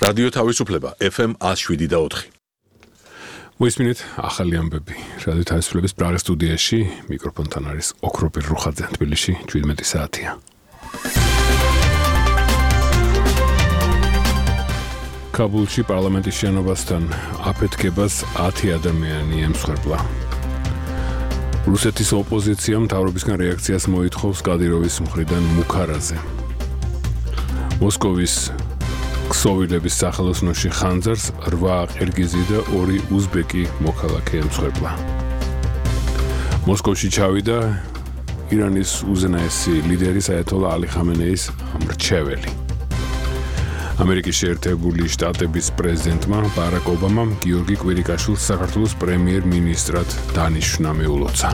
რადიო თავისუფლება FM 107.4. მოისმინეთ ახალი ამბები. რადიო თავისუფლების პრაღის სტუდიაში მიკროფონთან არის ოქროპირ რუხაძე. თბილისში 17 საათია. კაბულში პარლამენტის შენობასთან აფეთქებას 10 ადამიანი ემსხვერპლა. რუსეთის ოპოზიციამ მთავრობისგან რეაქციას მოითხოვს კადიროვის მხრიდან მუქარაზე. მოსკოვის ქსოვილების სახელოსნოში ხანძარს 8 ყირგიზი და 2 უზბეკი მოქალაქე ემსხვერპლა. მოსკოვში ჩავიდა ირანის უზენაესი ლიდერის აიათოლა ალი ხამენეის მრჩეველი. ამერიკის შეერთებული შტატების პრეზიდენტმა ბარაკ ობამამ გიორგი კვირიკაშვილს საქართველოს პრემიერ-მინისტრად დანიშნა მიულოცა.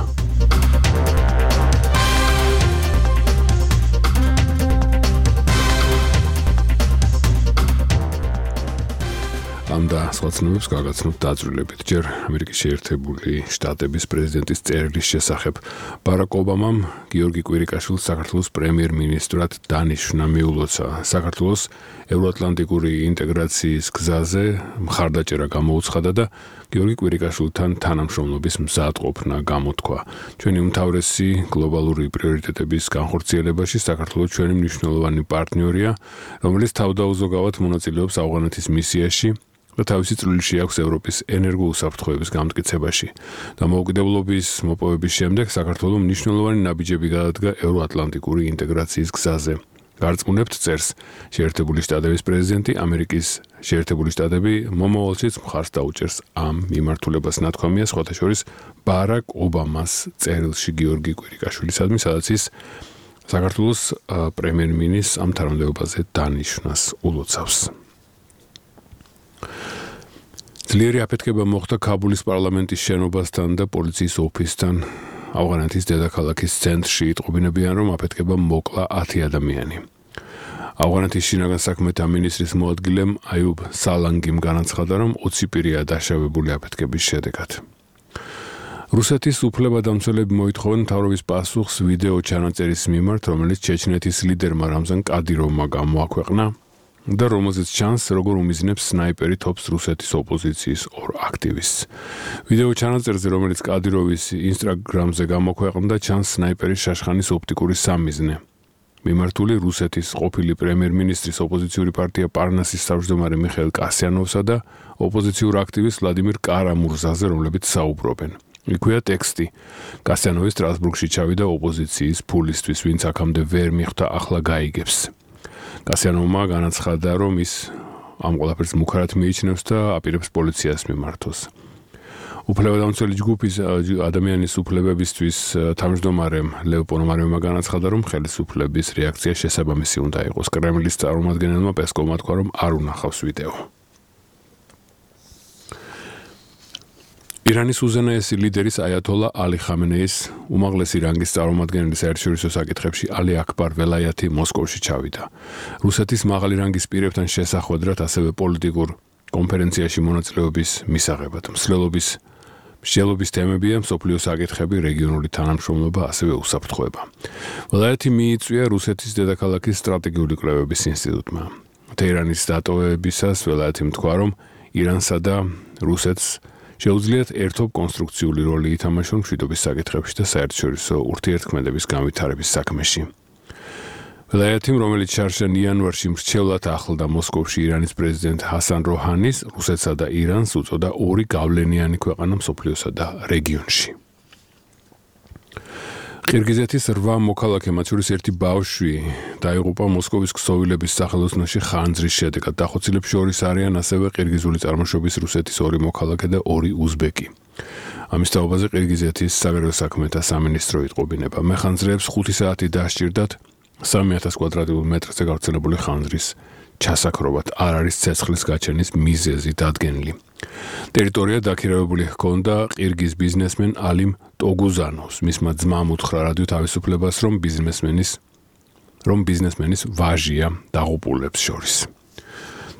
ამ და სხვა ცნობებს გაგაცნობთ დაწვრილებით. ჯერ ამერიკის შეერთებული შტატების პრეზიდენტის წერილის შესახებ ბარაკ ობამამ გიორგი კვირიკაშვილს საქართველოს პრემიერ-მინისტრად დანიშნა მიულოცა. საქართველოს ევროატლანტიკური ინტეგრაციის გზაზე მხარდაჭერა გამოუცხადა და გიორგი კვირიკაშვილთან თანამშრომლობის მზადყოფნა გამოთქვა. ჩვენი უმთავრესი გლობალური პრიორიტეტების განხორციელებაში საქართველოს ჩვენი მნიშვნელოვანი პარტნიორია, რომელიც თავდაუზოგავად მონაწილეობს ავღანეთის მისიაში და თავისი წვლილი აქვს ევროპის ენერგოუსაფრთხოების გამტკიცებაში. დამოუკიდებლობის მოპოვების შემდეგ საქართველოს მნიშვნელოვანი ნაბიჯები გადადგა ევროატლანტიკური ინტეგრაციის გზაზე. გარწმუნებთ წერს შეერთებული შტატების პრეზიდენტი, ამერიკის შეერთებული შტატები მომავალშიც მხარს დაუჭერს ამ მიმართულებას. ნათქვამია სხვათა შორის ბარაკ ობამას წერილში გიორგი კვირიკაშვილისადმი, სადაც ის საქართველოს პრემიერ-მინისტრს ამ თანამდებობაზე დანიშნას ულოცავს. ძლიერი აფეთქება მოხდა კაბულის პარლამენტის შენობასთან და პოლიციის ოფისთან. ავღანეთის დედაქალაქის ცენტრში იტყობინებიან, რომ აფეთქება მოკლა 10 ადამიანი. ავღანეთის შინაგან საქმეთა მინისტრის მოადგილემ აიუბ სალანგიმ განაცხადა, რომ 20 პირია დაშავებული აფეთქების შედეგად. რუსეთის უფლებადამცველები მოითხოვენ მთავრობის პასუხს ვიდეო ჩანაწერის მიმართ, რომელიც ჩეჩნეთის ლიდერმა რამზან კადიროვმა გამოაქვეყნა და რომელზეც ჩანს, როგორ უმიზნებს სნაიპერი თოფს რუსეთის ოპოზიციის 2 აქტივისტს. ვიდეო ჩანაწერზე, რომელიც კადიროვის ინსტაგრამზე გამოქვეყნდა, ჩანს სნაიპერის შაშხანის ოპტიკური სამიზნე. მიმართული რუსეთის ყოფილი პრემიერ-მინისტრის ოპოზიციური პარტია პარნასის თავმჯდომარე მიხეილ კასიანოვსა და ოპოზიციურ აქტივისტ ვლადიმირ კარამურზაზე, რომლებიც საუბრობენ. იქვეა ტექსტი. კასიანოვი სტრასბურგში ჩავიდა ოპოზიციის ფულისთვის, ვინც აქამდე ვერ მიხვდა, ახლა გაიგებს. კასიანოვმა განაცხადა, რომ ის ამ ყველაფერს მუქარად მიიჩნევს და აპირებს პოლიციას მიმართოს. უფლებადამცველი ჯგუფის ადამიანის უფლებებისთვის თავმჯდომარემ ლევ პონომარევმა განაცხადა, რომ ხელისუფლების რეაქცია შესაბამისი უნდა იყოს. კრემლის წარმომადგენელმა პესკოვმა თქვა, რომ არ უნახავს ვიდეო. ირანის უზენაესი ლიდერის აიათოლა ალი ხამენეის უმაღლესი რანგის წარმომადგენელი საერთაშორისო საკითხებში ალი აკბარ ველაიათი მოსკოვში ჩავიდა. რუსეთის მაღალი რანგის პირებთან შესახვედრად, ასევე პოლიტიკურ კონფერენციაში მონაწილეობის მისაღებად. მსჯელობის თემებია მსოფლიო საკითხები, რეგიონული თანამშრომლობა, ასევე უსაფრთხოება. ველაიათი მიიწვია რუსეთის დედაქალაქის სტრატეგიული კვლევების ინსტიტუტმა. თეირანის დატოვებისას ველაიათი თქვა, რომ ირანსა და რუსეთს შეუძლიათ ერთობ კონსტრუქციული როლი ითამაშონ მშვიდობის საკითხებში და საერთაშორისო ურთიერთქმედების განვითარების საქმეში. ველაიათიმ, რომელიც შარშან იანვარში მრჩევლად ახლდა მოსკოვში ირანის პრეზიდენტ ჰასან როჰანის, რუსეთსა და ირანს უწოდა 2 გავლენიანი ქვეყანა მსოფლიოსა და რეგიონში. ყირგიზეთის 8 მოქალაქე, მათ შორის 1 ბავშვი, დაიღუპა მოსკოვის ქსოვილების სახელოსნოში ხანძრის შედეგად. დახოცილებს შორის არიან ასევე ყირგიზული წარმოშობის რუსეთის 2 მოქალაქე და 2 უზბეკი. ამის თაობაზე ყირგიზეთის საგარეო საქმეთა სამინისტრო იტყობინება. მეხანძრეებს 5 საათი დასჭირდათ 3000 კვადრატულ მეტრზე გავრცელებული ხანძრის ჩასაქრობად. არ არის ცეცხლის გაჩენის მიზეზი დადგენილი. ტერიტორია დაქირავებული ჰქონდა ყირგიზ ბიზნესმენ ალიმ ტოგუზანოვს. მისმა ძმამ უთხრა რადიო თავისუფლებას, რომ ბიზნესმენის ვაჟია დაღუპულებს შორის.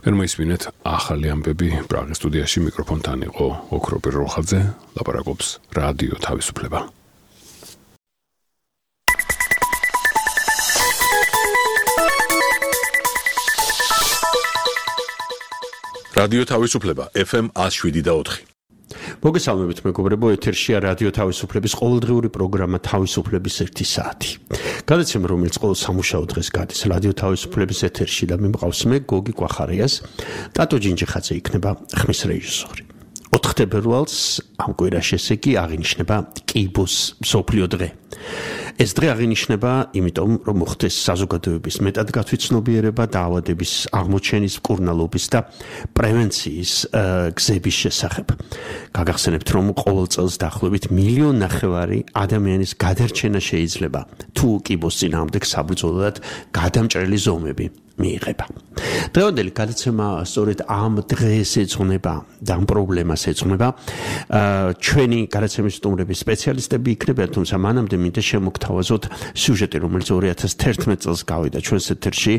თქვენ მოისმინეთ ახალი ამბები. პრაღის სტუდიაში მიკროფონთან იყო ოქროპირ რუხაძე, ლაპარაკობს რადიო თავისუფლება. რადიო თავისუფლება FM 107.4. მოგესალმებით მეგობრებო, ეთერშია რადიო თავისუფლების ყოველდღიური პროგრამა თავისუფლების 1 საათი. გადაცემა, რომელიც ყოველ სამუშაო დღეს გადის რადიო თავისუფლების ეთერში და მე მყავს მე გოგი კვახარიას, ტატო ჯინჯიხაძე იქნება ხმის რეჟისორი. 4 თებერვალს ამ კვირაში ესე კი აღინიშნება კიბოს მსოფლიო დღე. ეს დღე აღინიშნება იმიტომ, რომ მოხდეს საზოგადოების მეტად გათვითცნობიერება დაავადების აღმოჩენის, მკურნალობის და პრევენციის გზების შესახებ. გაგახსენებთ, რომ ყოველ წელს დაახლოებით 1.5 მილიონი ადამიანის გადარჩენა შეიძლება თუ კიბოს წინააღმდეგ საბრძოლოდ გადამჭრელი ზომები მიიღება. დღევანდელი გადაცემა სწორედ ამ დღეს ეძღვნება და ამ პრობლემას ეძღვნება. ჩვენი გადაცემის სტუმრები სპეციალისტები იქნებიან, თუმცა მანამდე მინდა შემოგთავაზოთ სიუჟეტი, რომელიც 2011 წელს გავიდა ჩვენს ეთერში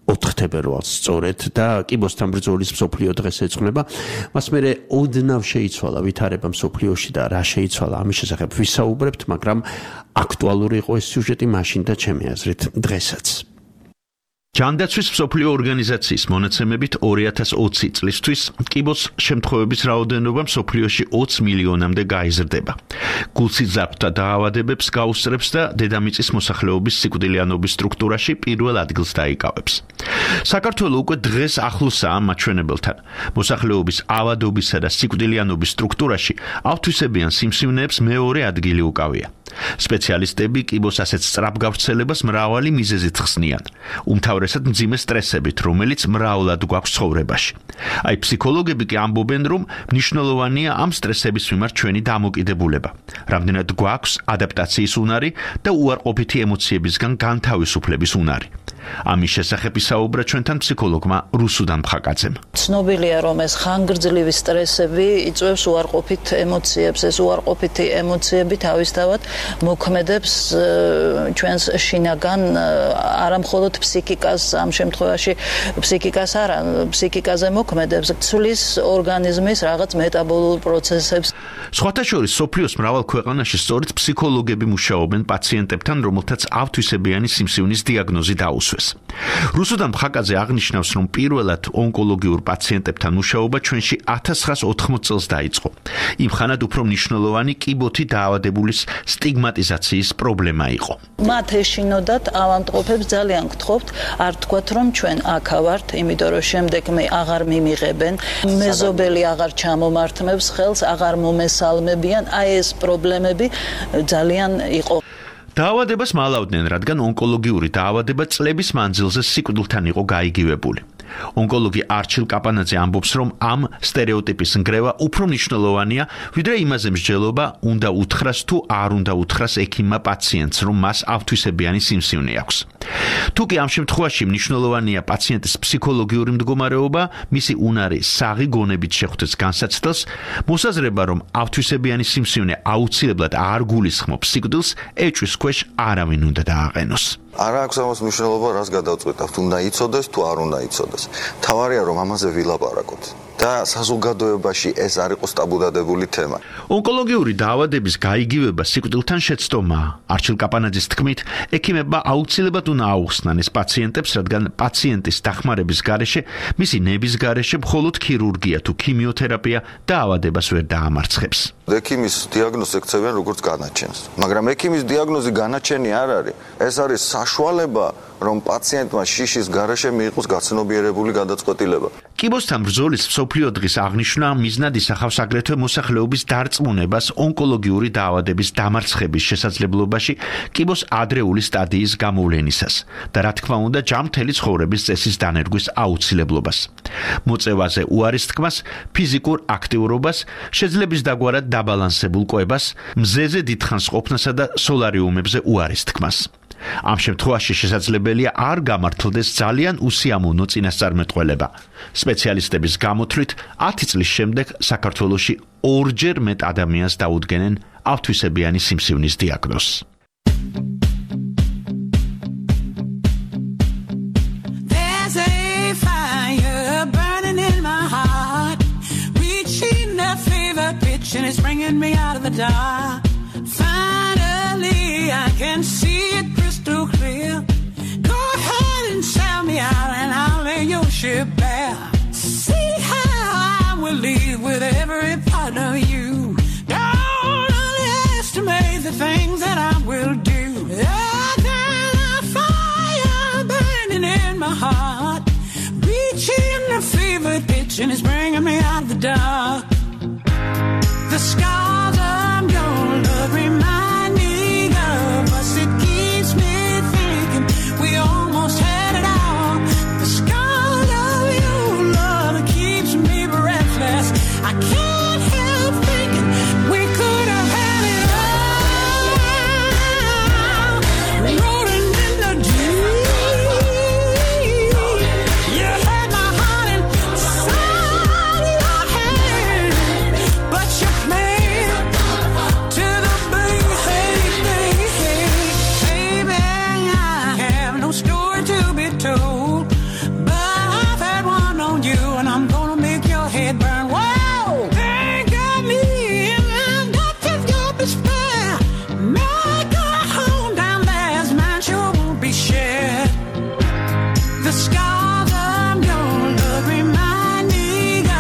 4 თებერვალს სწორედ და კიბოსთან ბრძოლის მსოფლიო დღეს ეძღვნება. მას მერე ოდნავ შეიცვალა ვითარება მსოფლიოში და რა შეიცვალა ამის შესახებ ვისაუბრებთ, მაგრამ აქტუალური იყო ეს სიუჟეტი მაშინ და ჩემი აზრით დღესაც. ჯანდაცვის მსოფლიო ორგანიზაციის მონაცემებით 2020 წლისთვის კიბოს შემთხვევების რაოდენობა მსოფლიოში 20 მილიონამდე გაიზრდება. გულსიძარღვთა დაავადებებს გაუსწრებს და დედამიწის მოსახლეობის სიკვდილიანობის სტრუქტურაში პირველ ადგილს დაიკავებს. საქართველოს უკვე დღეს ახლოსაა მაჩვენებელთან. მოსახლეობის ავადობისა და სიკვდილიანობის სტრუქტურაში ავთვისებიან სიმსივნეებს მეორე ადგილი უკავია. სპეციალისტები კიბოს ასეთ სწრაფ გავრცელებას მრავალი მიზეზით ხსნიან. უმთავრესად მძიმე სტრესებით, რომელიც მრავლად გვაქვს ცხოვრებაში. აი ფსიქოლოგები კი ამბობენ, რომ მნიშვნელოვანია ამ სტრესების მიმართ ჩვენი დამოკიდებულება. რამდენად გვაქვს ადაპტაციის უნარი და უარყოფითი ემოციებისგან განთავისუფლების უნარი. ამის შესახებ ისაუბრა ჩვენთან ფსიქოლოგმა რუსუდან მხაკაძემ. ცნობილია, რომ ეს ხანგრძლივი სტრესები იწვევს უარყოფით ემოციებს. ეს უარყოფითი ემოციები თავისთავად მოქმედებს ჩვენს შინაგან არამხოლოდ ფსიქიკას, ამ შემთხვევაში ფსიქიკას არა, ფსიქიკაზე მოქმედებს, ცვლის ორგანიზმის რაღაც მეტაბოლურ პროცესებს. სხვათა შორის სოფლიოს მრავალ ქვეყანაში სწორედ ფსიქოლოგები მუშაობენ პაციენტებთან, რომელთაც ავთვისებიანი სიმსივნის დიაგნოზი დაუსვეს. რუსუდან მხაკაძე აღნიშნავს, რომ პირველად ონკოლოგიურ პაციენტებთან მუშაობა ჩვენში 1980 წელს დაიწყო. იმ ხანად უფრო მნიშვნელოვანი კიბოთი დაავადებულის სტიგმატიზაციის პრობლემა იყო. მათ ეშინოდათ ავადმყოფებს ძალიან გთხოვთ, არ თქვათ, რომ ჩვენ აქა ვართ, იმიტომ რომ შემდეგ მე აღარ მიმიღებენ, მეზობელი აღარ ჩამომართმევს ხელს, აღარ მომესალმებიან, აი ეს პრობლემები ძალიან იყო. დაავადებას მალავდნენ, რადგან ონკოლოგიური დაავადება წლების მანძილზე სიკვდილთან იყო გაიგივებული. ონკოლოგი არჩილ კაპანაძე ამბობს, რომ ამ სტერეოტიპის ნგრევა უფრო მნიშვნელოვანია, ვიდრე იმაზე მსჯელობა უნდა უთხრას თუ არ უნდა უთხრას ექიმმა პაციენტს, რომ მას ავთვისებიანი სიმსივნე აქვს. თუკი ამ შემთხვევაში მნიშვნელოვანია პაციენტის ფსიქოლოგიური მდგომარეობა, მისი უნარი საღი გონებით შეხვდეს განსაცდელს, მოსაზრება, რომ ავთვისებიანი სიმსივნე აუცილებლად არ გულისხმობს სიკვდილს, ეჭვის ქვეშ არავინ უნდა დააყენოს. არ აქვს ამას მნიშვნელობა, რას გადავწყვეტავთ, უნდა იცოდეს თუ არ უნდა იცოდეს. თავარია, რომ ამაზე ვილაპარაკოთ და საზოგადოებაში ეს არ იყოს ტაბუდადებული თემა. ონკოლოგიური დაავადების გაიგივება სიკვდილთან შეცდომაა. არჩილ კაპანაძის თქმით, ექიმებმა აუცილებლად უნდა აუხსნან ეს პაციენტებს, რადგან პაციენტის დახმარების გარეშე, მისი ნების გარეშე მხოლოდ ქირურგია თუ ქიმიოთერაპია დაავადებას ვერ დაამარცხებს. ექიმის დიაგნოზს ექცევიან როგორც განაჩენს, მაგრამ ექიმის დიაგნოზი განაჩენი არ არის. ეს არის საშუალება, რომ პაციენტმა შიშის გარეშე მიიღოს გაცნობიერებული გადაწყვეტილება. კიბოსთან ბრძოლის მსოფლიო დღის აღნიშვნა მიზნად ისახავს აგრეთვე მოსახლეობის დარწმუნებას ონკოლოგიური დაავადების დამარცხების შესაძლებლობაში კიბოს ადრეული სტადიის გამოვლენისას და რა თქმა უნდა ჯანმრთელი ცხოვრების წესის დანერგვის აუცილებლობას. მოწევაზე უარის თქმას, ფიზიკურ აქტიურობას, შეძლების დაგვარად დაბალანსებულ კვებას, მზეზე დიდხანს ყოფნასა და სოლარიუმებზე უარის თქმას. ამ შემთხვევაში შესაძლებელია არ გამართლდეს ძალიან უსიამოვნო წინასწარმეტყველება. სპეციალისტების გამოთვლით 10 წლის შემდეგ საქართველოში 2-ჯერ მეტ ადამიანს დაუდგენენ ავთვისებიანი სიმსივნის დიაგნოზს. It's bringing me out of the dark. Finally, I can see it crystal clear. Go ahead and sell me out and I'll lay your ship bare. See how things that I will do. I got a fire burning in my heart, reaching a fever pitch, and it's bringing me out of the dark. The scars of your love remind me of us. It keeps me thinking we almost had it all. The scars of your love keeps me breathless. I can't help thinking we could have had it all. Rolling in the deep. You had my heart inside your hand, but you played to the beat. Baby, I have no story to be told, but I've had one on you, and I'm gonna make your head burn. Whoa, think of me in the depths of your despair. Make a home down there, as mine sure won't be shared. The scars of your love remind me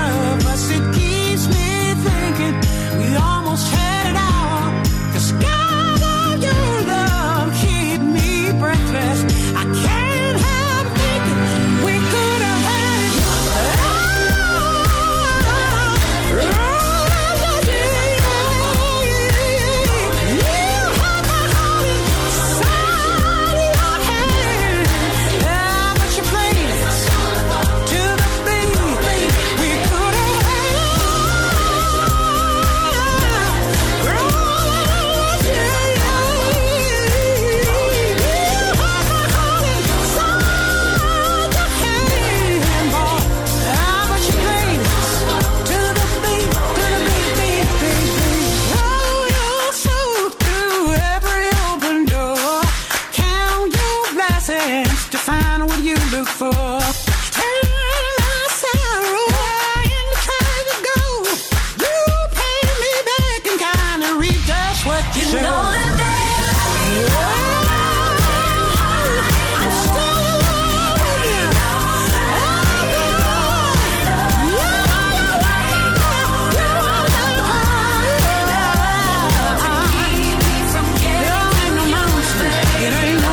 of us. It keeps me thinking we almost had it all. The scars of your love keep me breathless. I can't help thinking we could have had it all. To find what you look for. Turn my sorrow and try to go. You pay me back and kind of reap just what you sow. I'm still in love with you. It ain't no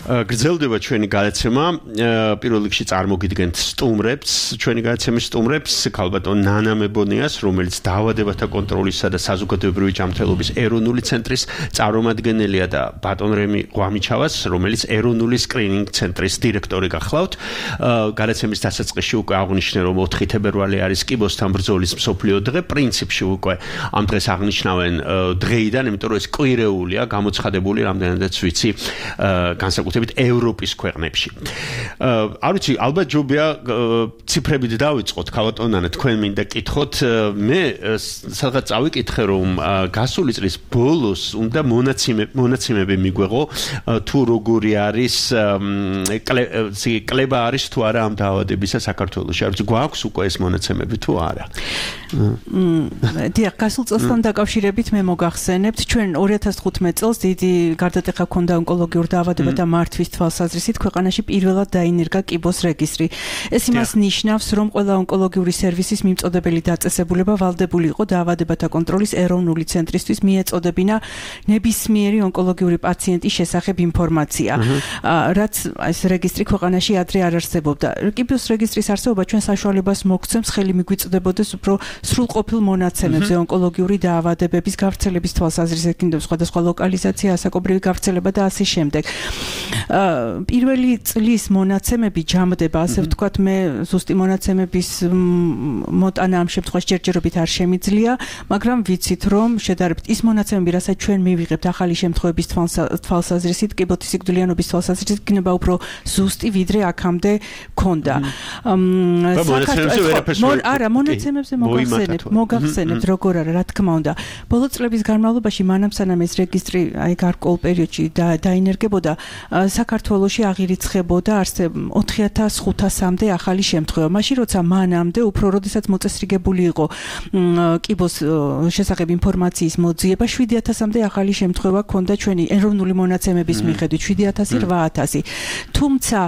გრძელდება ჩვენი გადაცემა. პირველ რიგში წარმოგიდგენთ სტუმრებს, ჩვენი გადაცემის სტუმრებს, ქალბატონ ნანა მებონიას, რომელიც დაავადებათა კონტროლისა და საზოგადოებრივი ჯანმრთელობის ეროვნული ცენტრის წარმომადგენელია და ბატონ რემი ღვამიჩავას, რომელიც ეროვნული სკრინინგ ცენტრის დირექტორი გახლავთ. გადაცემის დასაწყისში უკვე აღნიშნე, რომ 4 თებერვალი არის კიბოსთან ბრძოლის მსოფლიო დღე. პრინციპში უკვე ამ დღეს აღნიშნავენ დღეიდან, იმიტომ რომ ეს კვირეულია, გამოცხადებული რამდენადაც ვიცი, განსაკუთრებით ევროპის ქვეყნებში. არ ვიცი, ალბათ ჯობია ციფრებით დავიწყოთ, ქალბატონ ნანა, თქვენ მინდა კითხოთ, მე სადღაც წავიკითხე, რომ გასული წლის ბოლოს უნდა მონაცემები მიგვეღო, თუ როგორი არის კლება არის თუ არა ამ დაავადებისა საქართველოში. არ ვიცი, გვაქვს უკვე ეს მონაცემები თუ არა. დიახ, გასულ წელსთან დაკავშირებით მე მოგახსენებთ, ჩვენ 2015 წელს დიდი გარდატეხა ჰქონდა ონკოლოგიურ დაავადებათა მართვის თვალსაზრისით ქვეყანაში პირველად დაინერგა კიბოს რეგისტრი. ეს იმას ნიშნავს, რომ ყველა ონკოლოგიური სერვისის მიმწოდებელი დაწესებულება ვალდებული იყო დაავადებათა კონტროლის ეროვნული ცენტრისთვის მიეწოდებინა ნებისმიერი ონკოლოგიური პაციენტის შესახებ ინფორმაცია, რაც ეს რეგისტრი ქვეყანაში ადრე არ არსებობდა. კიბოს რეგისტრის არსებობა ჩვენ საშუალებას მოგცემს ხელი მიგვიწოდებოდეს უფრო სრულყოფილ მონაცემებზე ონკოლოგიური დაავადებების გავრცელების თვალსაზრისით, სხვადასხვა ლოკალიზაცია, ასაკობრივი გავრცელება და ასე შემდეგ. პირველი წლის მონაცემები ჯამდება, ასე ვთქვათ, მე ზუსტი მონაცემების მოტანა ამ შემთხვევაში ჯერჯერობით არ შემიძლია, მაგრამ ვიცით, რომ შედარებით ის მონაცემები, რასაც ჩვენ მივიღებთ ახალი შემთხვევების თვალსაზრისით, კიბოთი სიკვდილიანობის თვალსაზრისით, იქნება უფრო ზუსტი, ვიდრე აქამდე ქონდა. არა, მონაცემებზე მოგახსენებთ, როგორ არა, რა თქმა უნდა. ბოლო წლების განმავლობაში მანამ სანამ ეს რეგისტრი აი გარკვეულ პერიოდში დაინერგებოდა, საქართველოში აღირიცხებოდა 4500-მდე ახალი შემთხვევა. მაშინ როცა მანამდე უფრო როდესაც მოწესრიგებული იყო კიბოს შესახებ ინფორმაციის მოძიება, 7000-მდე ახალი შემთხვევა ქონდა ჩვენი ეროვნული მონაცემების მიხედვით, 7000-8000. თუმცა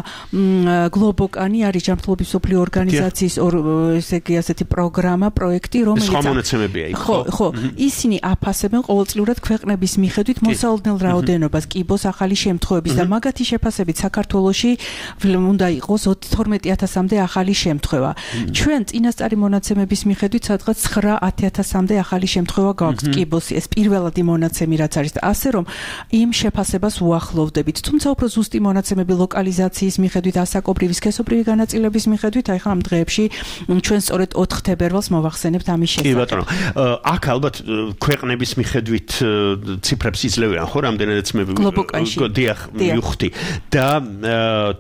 გლობოკანი არის ჯანმრთელობის მსოფლიო ორგანიზაციის ესე იგი ასეთი პროგრამა, პროექტი, რომელიც ხო, ისინი აფასებენ ყოველწლიურად ქვეყნების მიხედვით მოსალოდნელ რაოდენობას კიბოს ახალი შემთხვევების და მაგათი შეფასებით საქართველოში უნდა იყოს 12000-მდე ახალი შემთხვევა. ჩვენ წინასწარი მონაცემების მიხედვით სადღაც 9-10000-მდე ახალი შემთხვევა გაქვს კიბოს, ეს პირველადი მონაცემი რაც არის და ასე რომ იმ შეფასებას უახლოვდებით. თუმცა უფრო ზუსტი მონაცემები ლოკალიზაციის მიხედვით, ასაკობრივი, სქესობრივი განაწილების მიხედვით, აი ხა ამ დღეებში ჩვენ სწორედ 4 თებერვალს მოვახსენებთ ამის შესახებ. კი ბატონო, აქ ალბათ ქვეყნების მიხედვით ციფრებს იძლევიან, ხო, რამდენადაც მე დიახ მივხვდი და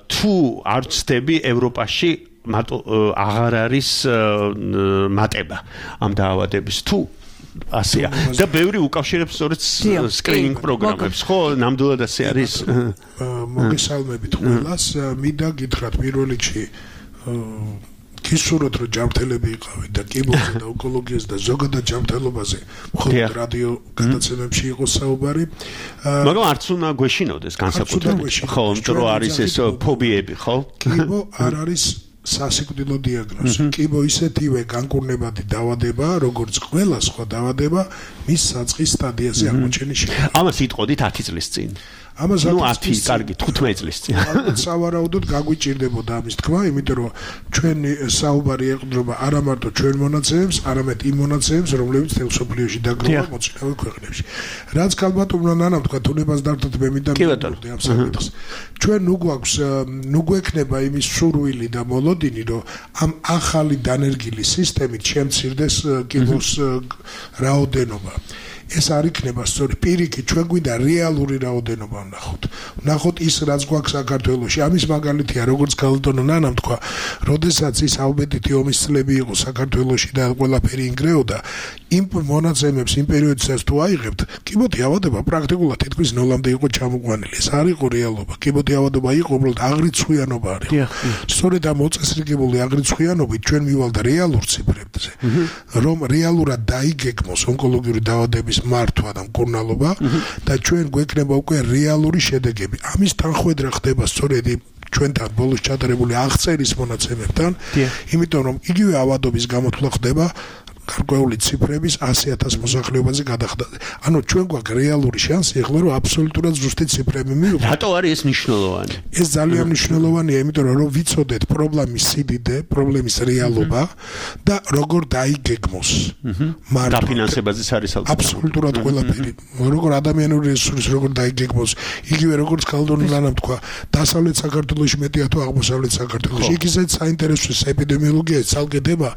თუ არ ვცდები ევროპაში აღარ არის მატება ამ დაავადების თუ ასეა და ბევრი უკავშირებს სწორედ სკრინინგ პროგრამებს, ხო, ნამდვილად ასე არის. მოგესალმებით ყველას, მინდა გითხრათ პირველ რიგში გისურვოთ, რომ ჯანმრთელები იყავით და კიბოზე და ონკოლოგიაზე და ზოგადად ჯანმრთელობაზე მხოლოდ რადიო გადაცემებში იყოს საუბარი. მაგრამ არც უნდა გვეშინოდეს განსაკუთრებით, ხო, იმიტომ რომ არის ეს ფობიები, ხო? კიბო არ არის სასიკვდილო დიაგნოზი. კიბო ისეთივე განკურნებადი დაავადება, როგორც ყველა სხვა დაავადება, მის საწყის სტადიაზე აღმოჩენის შედეგად. ამას იტყოდით 10 წლის წინ. ამას 10, კარგი, 15 წლის წინ. სავარაუდოდ გაგვიჭირდებოდა ამის თქმა, იმიტომ რომ ჩვენი საუბარი ეყრდნობა არა მარტო ჩვენ მონაცემებს, არამედ იმ მონაცემებს, რომლებიც თელ სოფლიოში დაგროვა მოწინავე ქვეყნებში. რაც ქალბატონმა ნანამ თქვა, თუნებას დართოთ მე მინდა მივიდოდი ამ საკითხს. ჩვენ ნუ გვექნება იმის სურვილი და მოლოდინი, რომ ამ ახალი დანერგილი სისტემით შემცირდეს კიბოს რაოდენობა. ეს არ იქნება სწორი პირიქით, ჩვენ გვინდა რეალური რაოდენობა ვნახოთ. ვნახოთ ის, რაც გვაქვს საქართველოში. ამის მაგალითია, როგორც ქალბატონო ნანამ თქვა, როდესაც ის ალბედითი ომის წლები იყო საქართველოში და ყველაფერი ინგრეოდა, იმ მონაცემებს იმ პერიოდისას თუ აიღებთ, კიბოთი ავადება პრაქტიკულად თითქმის ნოლამდე იყო ჩამოყვანილი. ეს არ იყო რეალობა. კიბოთი ავადობა იყო უბრალოდ აღრიცხვიანობა არის. სწორედ ამ მოწესრიგებული აღრიცხვიანობით ჩვენ მივალთ რეალურ ციფრებზე, რომ რეალურად დაიგეგმოს ონკოლოგიური დაავადების მართვა და მკურნალობა და ჩვენ გვექნება უკვე რეალური შედეგები. ამის თანხმედრა ხდება სწორედ ჩვენთან ბოლოს ჩატარებული აღწერის მონაცემებთან, იმიტომ რომ იგივე ავადობის გამოთვლა ხდება გარკვეული ციფრების 100,000 მოსახლეობაზე გადახდა. ანუ ჩვენ გვაქვს რეალური შანსი ახლა რომ აბსოლუტურად ზუსტი ციფრები მივიღოთ. რატო არის ეს მნიშვნელოვანი? ეს ძალიან მნიშვნელოვანია, იმიტომ რომ ვიცოდეთ პრობლემის სიდიდე, პრობლემის რეალობა და როგორ დაიგეგმოს. დაფინანსებაზეც არის აბსოლუტურად ყველაფერი. როგორ ადამიანური რესურსი როგორ დაიგეგმოს, იგივე როგორც ქალბატონმა თქვა, დასავლეთ საქართველოში მეტია თუ აღმოსავლეთ საქართველოში. იქ ისეთ საინტერესო ეპიდემიოლოგია ცალკედება,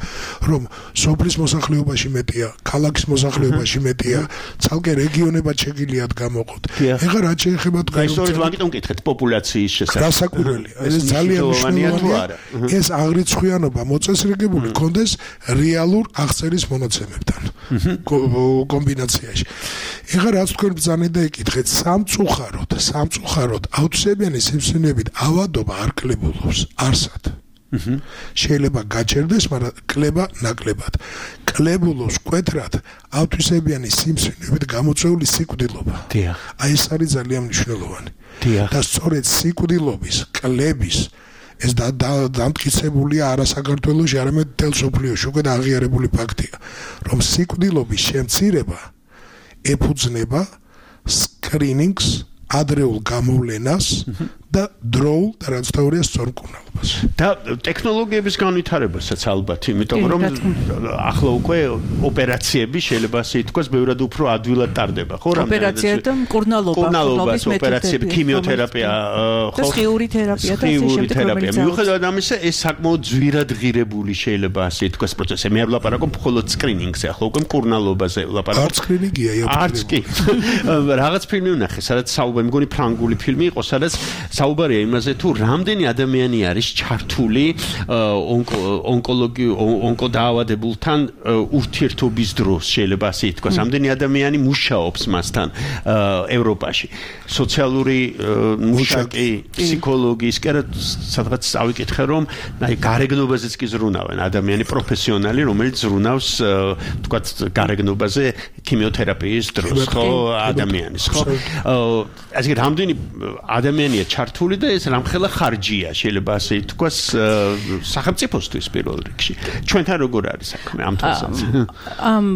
რომ სოფლის მოსახლეობაში მეტია, ქალაქის მოსახლეობაში მეტია, ცალკე რეგიონებად შეგიძლიათ გამოყოთ. ეხლა რაც შეეხება თქვენ ისტორიულ ვაკიტონ კითხეთ პოპულაციის შესახებ. გასაკვირველია, ეს ძალიან მნიშვნელოვანია. ეს აღრიცხვიანობა მოწესრიგებული კონდეს რეალურ აღწერის მონაცემებთან კომბინაციაში. ეხლა რაც თქვენ ბრძანეთ და ეკითხეთ, სამწუხაროდ აუთსებიანი სიმსივნეებით ავადობა არ კლებულობს, არსად. შეიძლება გაჩერდეს, მაგრამ კლება ნაკლებად. კლებულობს მკვეთრად ავთვისებიანი სიმსივნეებით გამოწვეული სიკვდილობა. აი ეს არის ძალიან მნიშვნელოვანი. და სწორედ სიკვდილობის, კლების ეს დამტკიცებულია არა საქართველოში, არამედ მთელ სოფლიოში უკვე აღიარებული ფაქტია, რომ სიკვდილობის შემცირება ეფუძნება სკრინინგს, ადრეულ გამოვლენას და დროულ და რაც თავია სწორმკურნალობას. განვითარებას. და ტექნოლოგიების განვითარებასაც ალბათ, იმიტომ რომ ახლა უკვე ოპერაციები შეიძლება ასე ითქვას, ბევრად უფრო ადვილად ტარდება, ხო? ოპერაცია და მკურნალობის ოპერაციები, ქიმიოთერაპია, ხო? ხიური თერაპია და ასე შემდეგ. მიუხედავად ამისა, ეს საკმაოდ ძვირად ღირებული შეიძლება ასე ითქვას პროცესი. მე არ ვლაპარაკობ მხოლოდ სკრინინგზე, ახლა უკვე მკურნალობაზე ვლაპარაკობ. არც სკრინინგია, არც კი. რაღაც ფილმი ვნახე, სადაც საუბარი, მგონი ფრანგული ფილმი იყო, სადაც საუბარია იმაზე, თუ რამდენი ადამიანი არის ჩართული ონკოდაავადებულთან ურთიერთობის დროს, შეიძლება ასე ითქვას, რამდენი ადამიანი მუშაობს მასთან ევროპაში. სოციალური მუშაკი, ფსიქოლოგიის, სადღაც ავიკითხე, რომ აი გარეგნობაზეც კი ზრუნავენ ადამიანი პროფესიონალი, რომელიც ზრუნავს თქვათ გარეგნობაზე ქიმიოთერაპიის დროს, ხო, ადამიანის, ხო? ასე რამდენი ადამიანია ჩართული და ეს რამხელა ხარჯია, შეიძლება ასე ითქვას, სახელმწიფოსთვის პირველ რიგში. ჩვენთან როგორ არის საქმე ამ თვალსაზრისით?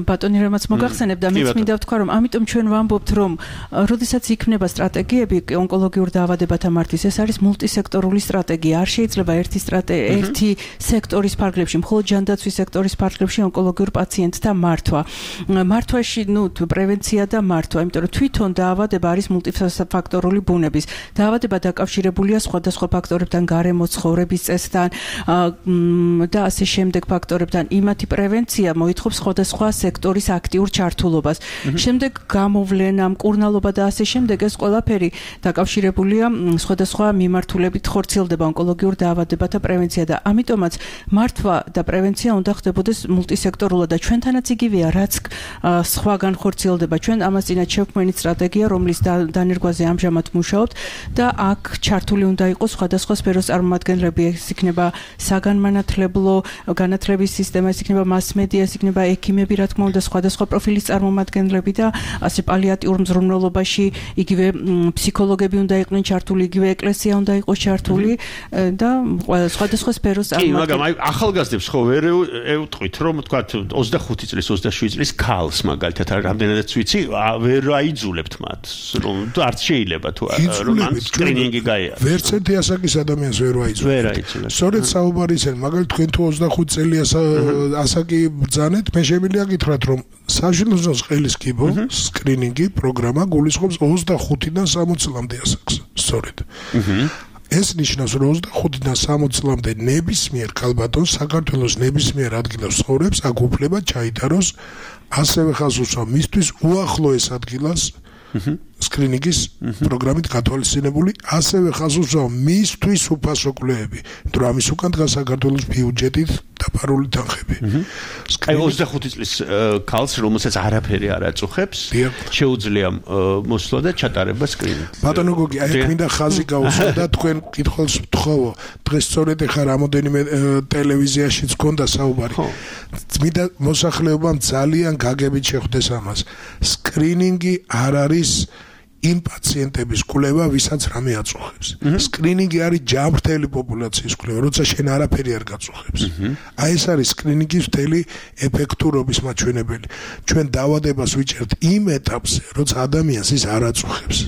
ბატონი რამაც მოგახსენებ და მეც მინდა ვთქვა, რომ ამიტომ ჩვენ ვამბობთ, რომ როდესაც იქნება სტრატეგიები ონკოლოგიურ დაავადებათა მართვის, ეს არის მულტისექტორული სტრატეგია. არ შეიძლება ერთი სექტორის ფარგლებში, მხოლოდ ჯანდაცვის სექტორის ფარგლებში ონკოლოგიურ პაციენტთა მართვა. მართვაში, პრევენცია და მართვა, იმიტომ რომ თვითონ დაავადება არის მულტიფაქტორული ბუნების. დაავადება დაკავშირებულია სხვადასხვა ფაქტორებთან, გარემო ცხოვრების წესთან და ასე შემდეგ ფაქტორებთან. იმათი პრევენცია მოითხოვს სხვადასხვა სექტორის აქტიურ ჩართულობას. შემდეგ გამოვლენა, მკურნალობა და ასე შემდეგ, ეს ყველაფერი დაკავშირებულია სხვადასხვა მიმართულებით ხორციელდება ონკოლოგიურ დაავადებათა პრევენცია და ამიტომაც მართვა და პრევენცია უნდა ხდებოდეს მულტისექტორულად და ჩვენთანაც იგივეა, რაც სხვაგან ხორციელდება. ჩვენ ამას წინათ შევქმნით სტრატეგია, რომლის დანერგვაზე ამჟამად მუშაობთ და აქ ჩართული უნდა იყოს სხვადასხვა სფეროს წარმომადგენლები, ეს იქნება საგანმანათლებლო განათლების სისტემა, ეს იქნება მასმედია, ეს იქნება ექიმები, რა თქმა უნდა, სხვადასხვა პროფილის წარმომადგენლები და ასე პალიატიურ მზრუნველობაში იგივე ფსიქოლოგები უნდა იყვნენ ჩართული, იგივე ეკლესია უნდა იყოს ჩართული და სხვადასხვა სფეროს წარმომადგენლები. კი, მაგრამ აი ახალგაზრდებს ხო ვერ ევტყვით, რომ თქვა 25 წლის, 27 წლის ქალს მაგალითად რამდენადაც ვიცი, ვერ აიძულებთ მათ, რომ არც შეიძლება თუ რომ ან სკრინინგი გაიარა. ვერც ერთი ასაკის ადამიანს ვერ აიძულებთ. სწორედ საუბარი ისე, მაგალითად თქვენ თუ 25 წელი ასაკი ბრძანეთ, მე შემიძლია გითხრათ, რომ საშინლო ყელის კიბო სკრინინგი პროგრამა გულისხმობს 25-დან 60 წლამდე ასაკს. სწორედ. ეს ნიშნავს, რომ 25-დან 60 წლამდე ნებისმიერ ქალბატონს საქართველოს ნებისმიერ ადგილას ცხოვრობს, აქ უფლება ჩაიტაროს, ასევე ხაზს უსვა მისთვის უახლოეს ადგილას სკრინინგის პროგრამით გათვალისწინებული, ასევე ხაზს უსვა მისთვის უფასო კვლევები, იმიტომ რომ ამის უკან დგას საქართველოს ბიუჯეტით დაფარული თანხები. აი 25 წლის ქალს, რომელსაც არაფერი არ აწუხებს, შეუძლია მოსვლა და ჩატარება სკრინინგი. ბატონო გოგი, აი მინდა ხაზი გაუსვა და თქვენ კითხულს ვთხოვო. დღეს სწორედ ახლა რამოდენიმე ტელევიზიაშიც გქონდა საუბარი. მინდა მოსახლეობამ ძალიან გაგებით შეხვდეს ამას. სკრინინგი არ არის იმ პაციენტების კვლევა, ვისაც რამე აწუხებს. სკრინინგი არის ჯანმრთელი პოპულაციის კვლევა, როცა შენ არაფერი არ გაწუხებს. აი ეს არის სკრინინგის მთელი ეფექტურობის მაჩვენებელი. ჩვენ დაავადებას ვიჭერთ იმ ეტაპზე, როცა ადამიანს ის არ აწუხებს.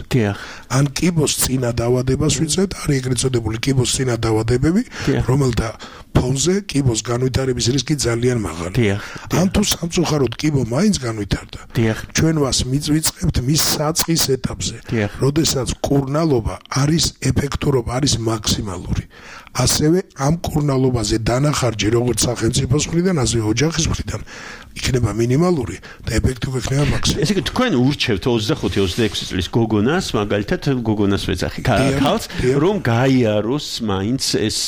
ან კიბოს წინა დაავადებას ვიწერთ, არის ეგრეთ წოდებული კიბოს წინა დაავადებები, რომელთა ფონზე კიბოს განვითარების რისკი ძალიან მაღალია. ან თუ სამწუხაროდ კიბო მაინც განვითარდა, ჩვენ მას ვიწყებთ მის საწყის ეტაპზე. როდესაც კურნალობა არის ეფექტურობა არის მაქსიმალური. ასევე ამ კურნალობაზე დანახარჯი როგორც სახელმწიფოს მხრიდან, ასევე ოჯახის მხრიდან იქნება მინიმალური და ეფექტი იქნება მაქსიმალური. ესე იგი თქვენ ურჩევთ 25-26 წლის გოგონას, მაგალითად გოგონას ვეძახი, ქალს, რომ გაიაროს მაინც ეს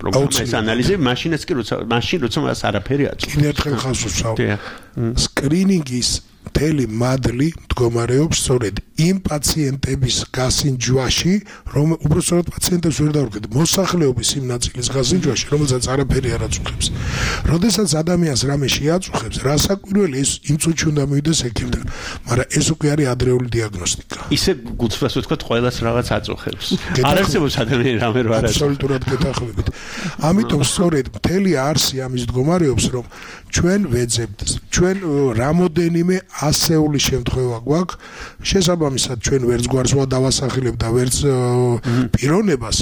პროგრამა, ეს ანალიზი, მაშინაც კი როცა მას არაფერი აწუხებს. კიდევ ერთხელ ხაზს უსვავ. სკრინინგის მთელი მადლი მდგომარეობს სწორედ იმ პაციენტების გასინჯვაში, რომ უბრალოდ პაციენტებს ვერ დავუკეთ, მოსახლეობის იმ ნაწილის გასინჯვაში, რომელსაც არაფერი არ აწუხებს. როდესაც ადამიანს რამე შეაწუხებს, რასაკვირველი ის იმ წუთში უნდა მივიდეს ექიმთან, მაგრამ ეს უკვე არის ადრეული დიაგნოსტიკა. ისე გულწრფელს ვთქვათ, ყველას რაღაც აწუხებს. არ არსებობს ადამიანი რამე რა არის. აბსოლუტურად გეთანხმებით. ამიტომ სწორედ მთელი არსი ამის მდგომარეობს, რომ ჩვენ ვეძებთ, ჩვენ რამოდენიმე ასეული შემთხვევა გვაქვს, შესაბამისად ჩვენ ვერც გვარს დავასახელებ და ვერც პიროვნებას,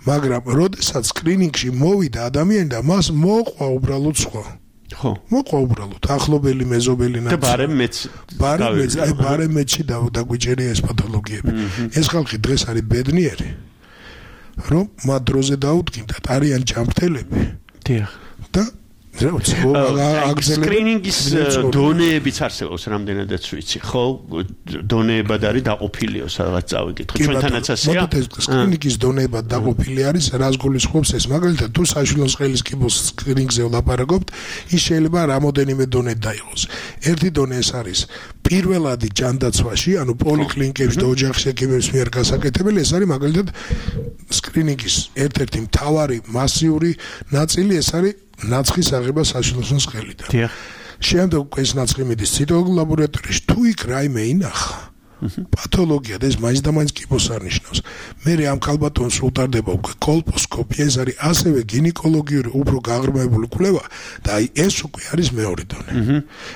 მაგრამ როდესაც სკრინინგში მოვიდა ადამიანი და მას მოყვა უბრალოდ სხვა ხო მოყვა უბრალოდ ახლობელი მეზობელი და ბარემ მეცი დაგვიჭერია ეს პათოლოგიები ეს ხალხი დღეს არის ბედნიერი რომ მათ დროზე დაუდგინდათ არიან ჯანმრთელები დიახ და სკრინინგის დონეებიც არსებობს რამდენადაც ვიცი ხო დონეებად არის დაყოფილიო სადღაც წავიკითხო ჩვენთანაც ასეა სკრინინგის დონეებად დაყოფილი არის რას გულისხმობს ეს მაგალითად თუ საშვილოს ყელის კიბოს სკრინინგზე ვლაპარაკობთ ის შეიძლება რამოდენიმე დონედ დაიღოს ერთი დონე ეს არის პირველადი ჯანდაცვაში ანუ პოლიკლინიკებში და ოჯახის ექიმების მიერ გასაკეთებელი ეს არის მაგალითად სკრინინგის ერთ-ერთი მთავარი მასიური ნაწილი ეს არის ნაცხის აღება საშვილოსნოს ყელიდან. დიახ. შემდეგ ეს ნაცხი მიდის ციტოლოგიურ ლაბორატორიაში. თუ იქ რაიმე ინახა, პათოლოგია და ეს მაინც და მაინც კიბოს არ ნიშნავს. მე ამ ქალბატონს უტარდება უკვე კოლპოსკოპია, ეს არის ასევე გინეკოლოგიური უფრო გაღრმავებული კვლევა და აი ეს უკვე არის მეორე დონე.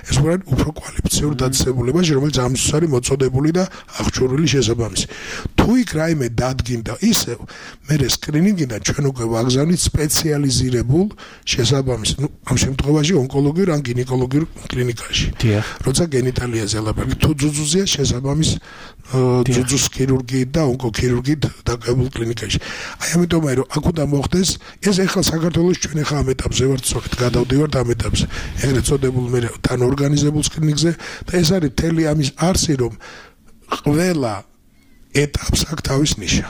ეს უფრო კვალიფიციური დაწესებულებაში, რომელიც ამისთვის არის მოწოდებული და აღჭურვილი შესაბამისი. თუ იქ რაიმე დადგინდა ისევ მე სკრინინგიდან ჩვენ უკვე ვაგზავნით სპეციალიზირებულ შესაბამის ამ შემთხვევაში ონკოლოგიურ ან გინეკოლოგიურ კლინიკაში. დიახ. როცა გენიტალიაზე ლაპარაკი თუ ძუძუზია შესაბამის ძუძუს ქირურგიით და ონკოქირურგიით დაკავებულ კლინიკაში. აი ამიტომ რომ აქ უნდა მოხდეს ეს ახლა საქართველოს ჩვენ ახლა ამ ეტაპზე ვართ სწორედ გადავდივართ ამ ეტაპზე. ეგრეთ წოდებულ მე თან ორგანიზებულ სკრინინგზე და ეს არის მთელი ამის არსი რომ ყველა ეტაპს აქვს თავის ნიშა.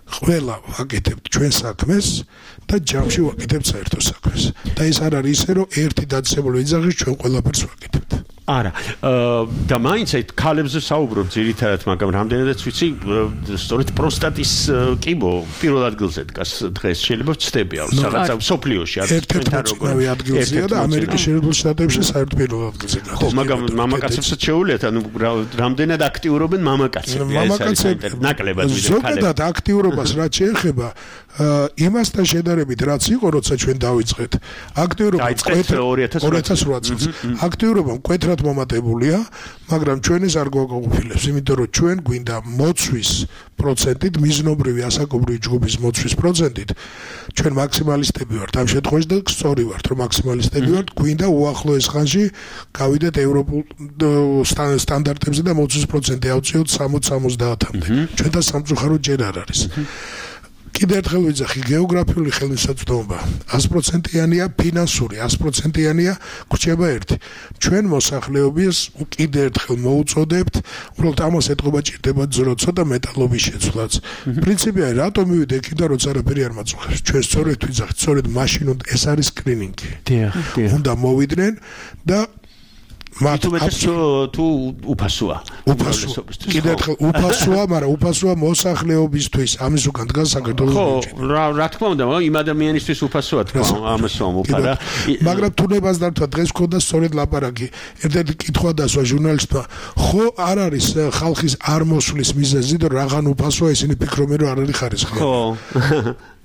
ყველა ვაკეთებთ ჩვენ საქმეს და ჯამში ვაკეთებთ საერთო საქმეს. და ეს არ არის ისე რომ ერთი დაწესებული ვიძახის ჩვენ ყველაფერს ვაკეთებთ. არა და მაინც აი ქალებზე საუბრობ ძირითადად მაგრამ რამდენადაც ვიცი სწორედ პროსტატის კიბო პირველ ადგილზე დგას დღეს შეიძლება ვწდებია რაღაცა სოფლიოში არის თქვენთან როგორ ადგილზეა და ამერიკის შეერთებულ შტატებში საერთოდ პირველ ადგილზე გადის ხო მაგრამ მამაკაცებსაც შეუულიათ ანუ რამდენად აქტიურობენ მამაკაცები ეს არის ნაკლებად ვიდრე ქალები ზოგადად აქტიურობას რაც შეეხება იმასთან შედარებით რაც იყო როცა ჩვენ დავიწყეთ აქტიურობა 2008 წელს აქტიურობა მკვეთრად მომატებულია, მაგრამ ჩვენ ეს არ გვაყოფილებს, იმიტომ რომ ჩვენ გვინდა მოცვის პროცენტით, მიზნობრივი ასაკობრივი ჯგუფის მოცვის პროცენტით, ჩვენ მაქსიმალისტები ვართ ამ შემთხვევაში და სწორი ვართ, რომ მაქსიმალისტები ვართ, გვინდა უახლოეს ხანში გავიდეთ ევროპულ სტანდარტებზე და მოცვის პროცენტი ავწიოთ 60-70-მდე. ჩვენთან სამწუხაროდ ჯერ არ არის. კიდევ ერთხელ ვიძახი გეოგრაფიული ხელმისაწვდომობა 100%-იანია ფინანსური 100%-იანია გრჩება ერთი ჩვენ მოსახლეობის კიდევ ერთხელ მოუწოდებთ უბრალოდ ამას ეთყობა ჭირდება ძრო ცოტა მეტალობის შეცვლაც პრინციპი არის რატომ მივიდე იქიდან როცა არაფერი არ მაწუხებს ჩვენ სწორედ ვიძახით სწორედ მაშინ ეს არის სკრინინგი უნდა მოვიდნენ და თუ უფასოა კიდევ ერთხელ უფასოა მაგრამ უფასოა მოსახლეობისთვის ამის უკან დგას საქართველოს ბიუჯეტი ხო რა თქმა უნდა იმ ადამიანისთვის უფასოა თქვა ამას ვამბობ მაგრამ თუნებას დართვა დღეს გქონდა სწორედ ლაპარაკი ერთ-ერთი კითხვა დასვა ჟურნალისტმა ხო არ არის ხალხის არ მოსვლის მიზეზი და რაღაც უფასოა ისინი ფიქრობენ რომ არ არის ხარისხი ხო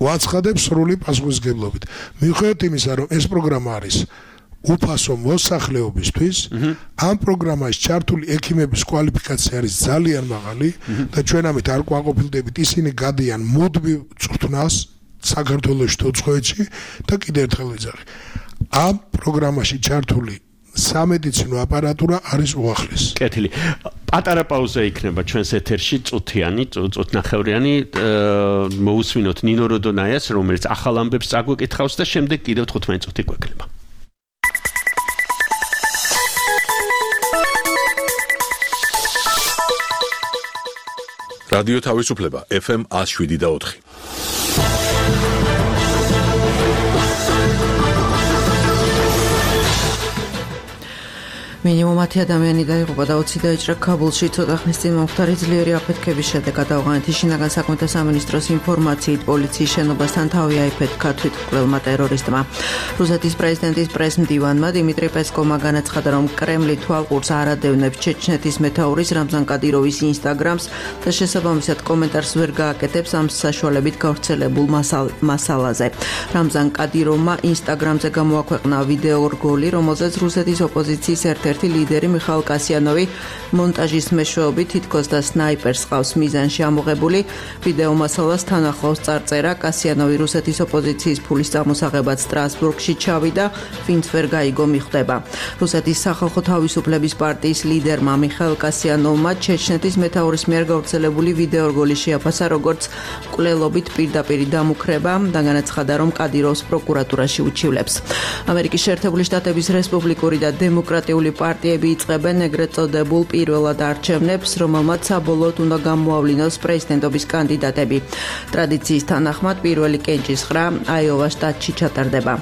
ვაცხადებ სრული პასუხისგებლობით მიუხედავად იმისა რომ ეს პროგრამა არის უფასო მოსახლეობისთვის ამ პროგრამაში ჩართული ექიმების კვალიფიკაცია არის ძალიან მაღალი და ჩვენ ამით არ გვაყოფილდებით ისინი გადიან მუდმივ წვრთნას საქართველოში თუ უცხოეთში და კიდევ ერთხელ ვიძახი ამ პროგრამაში ჩართული სამედიცინო აპარატურა არის უახლეს. კეთილი. პატარა პაუზა იქნება ჩვენს ეთერში წუთიანი, წუთნახევრიანი მოусვინოთ ნინო როდონაიას რომელიც ახალ ამბებს წაგვეკითხავს და შემდეგ კიდევ 15 წუთი გვექნება. რადიო თავისუფლება FM 107.4 მინიმუმ 10 ადამიანი დაიღუპა და 20 დაიჭრა ქაბულში ცოტა ხნის წინ მომხდარი ძლიერი აფეთქების შედეგად ავღანეთის შინაგან საქმეთა სამინისტროს ინფორმაციით პოლიციის შენობასთან თავი აიფეთქა თვითმკვლელმა ტერორისტმა. რუსეთის პრეზიდენტის პრესმდივანმა დიმიტრი პესკოვმა განაცხადა, რომ კრემლი თვალყურს არ ადევნებს ჩეჩნეთის მეთაურის რამზან კადიროვის ინსტაგრამს და შესაბამისად კომენტარს ვერ გააკეთებს ამ საშუალებით გავრცელებულ მასალაზე. რამზან კადიროვმა ინსტაგრამზე გამოაქვეყნა ვიდეო რგოლი, რომელზეც რუსეთის ოპოზიციის ერთ ერთ-ერთი ლიდერი მიხაილ კასიანოვი მონტაჟის მეშვეობით თითქოს და სნაიპერს ყავს მიზანში ამოღებული. ვიდეო მასალას თან ახლავს წარწერა კასიანოვი რუსეთის ოპოზიციის ფულის წამოსაღებად სტრასბურგში ჩავიდა, ვინც ვერ გაიგო მიხვდება. რუსეთის სახალხო თავისუფლების პარტიის ლიდერმა მიხაილ კასიანოვმა ჩეჩნეთის მეთაურის მიერ გავრცელებული ვიდეო რგოლი შეაფასა როგორც მკვლელობით პირდაპირი დამუქრება და განაცხადა, რომ კადიროვს პროკურატურაში უჩივლებს. ამერიკის შეერთებული შტატების რესპუბლიკური და დემოკრატიული პარტიები იწყებენ ეგრეთ წოდებულ პირველად არჩევნებს, რომელმაც საბოლოოდ უნდა გამოავლინოს პრეზიდენტობის კანდიდატები. ტრადიციის თანახმად პირველი კენჭისყრა აიოვას შტატში ჩატარდება.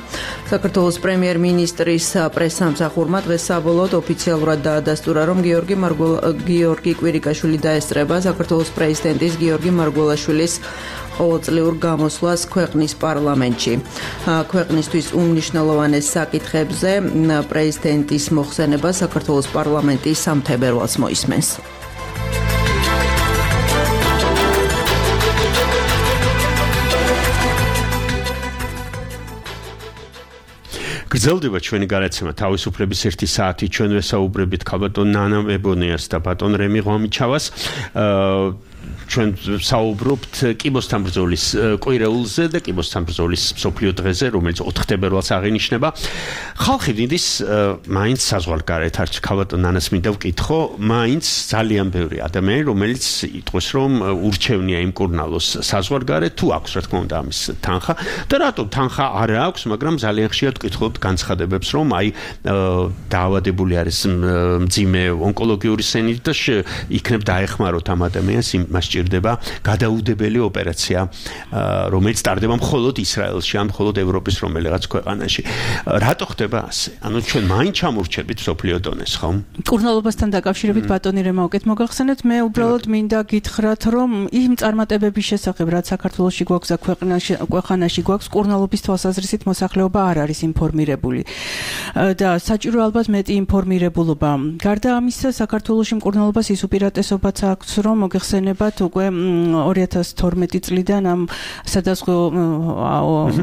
საქართველოს პრემიერ-მინისტრის პრესსამსახურმა დღეს საბოლოოდ ოფიციალურად დაადასტურა, რომ გიორგი კვირიკაშვილი დაესწრება საქართველოს პრეზიდენტის გიორგი მარგველაშვილის ყოველწლიურ გამოსვლას ქვეყნის პარლამენტში. ქვეყნისთვის უმნიშვნელოვანეს საკითხებზე პრეზიდენტის მოხსენება საქართველოს პარლამენტის სამთებერვალს მოისმენს. გრძელდება ჩვენი გადაცემა თავისუფლების 1 საათი. ჩვენ ვესაუბრებით ქალბატონ ნანა მებონიას და ბატონ რემი ღვამიჩავას. ჩვენ საუბრობთ კიბოსთან ბრძოლის კვირეულზე და კიბოსთან ბრძოლის მსოფლიო დღეზე, რომელიც 4 თებერვალს აღინიშნება. ხალხი დინდის მაინც საზღვარგარეთ არც ქალბატონ ნანას მინდა ვკითხო, მაინც ძალიან ბევრი ადამიანი, რომელიც იტყვის, რომ ურჩევნია იმკურნალოს საზღვარგარეთ, თუ აქვს რა თქმა უნდა ამის თანხა და რატომ თანხა არ აქვს, მაგრამ ძალიან ხშირად ვკითხულობთ განცხადებებს, რომ აი დაავადებული არის მძიმე ონკოლოგიური სენით და იქნებ დაეხმაროთ ამ ადამიანს, იმას ჭირდება გადაუდებელი ოპერაცია, რომელიც ტარდება მხოლოდ ისრაელში, ან მხოლოდ ევროპის რომელიღაც ქვეყანაში. რატო ხდება ასე? ანუ ჩვენ მაინც ჩამორჩებით მსოფლიო დონეს, ხო? კურნალობასთან დაკავშირებით ბატონი რემა უკეთ მოგახსენეთ, მე უბრალოდ მინდა გითხრათ, რომ იმ წარმატებების შესახებ, რაც საქართველოში გვაქვს და ქვეყანაში გვაქვს, კურნალობის თვალსაზრისით მოსახლეობა არ არის ინფორმირებული. და საჭირო ალბათ მეტი ინფორმირებულობა. გარდა ამისა, საქართველოში მკურნალობას ის უპირატესობაც აქვს, რომ მოგეხსენებათ უკვე 2012 წლიდან ამ სადაზღვო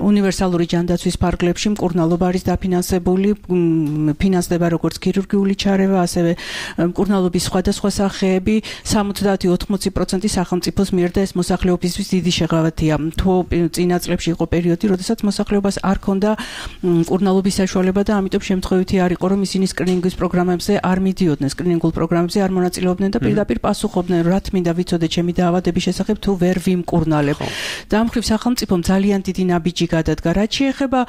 უნივერსალური ჯანდაცვის ფარგლებში მკურნალობა არის დაფინანსებული, ფინანსდება როგორც ქირურგიული ჩარევა, ასევე მკურნალობის სხვადასხვა სახეები 70-80% სახელმწიფოს მიერ და ეს მოსახლეობისთვის დიდი შეღავათია. თუ წინა წლებში იყო პერიოდი, როდესაც მოსახლეობას არ ჰქონდა მკურნალობის საშუალება და ამიტომ შემთხვევითი არ იყო, რომ ისინი სკრინინგის პროგრამებზე არ მიდიოდნენ, სკრინინგულ პროგრამებზე არ მონაწილეობდნენ და პირდაპირ პასუხობდნენ, რა თმინდა ვიცოდე ჩემი დაავადების შესახებ თუ ვერ ვიმკურნალებ. და ამ მხრივ სახელმწიფომ ძალიან დიდი ნაბიჯი გადადგა. რაც შეეხება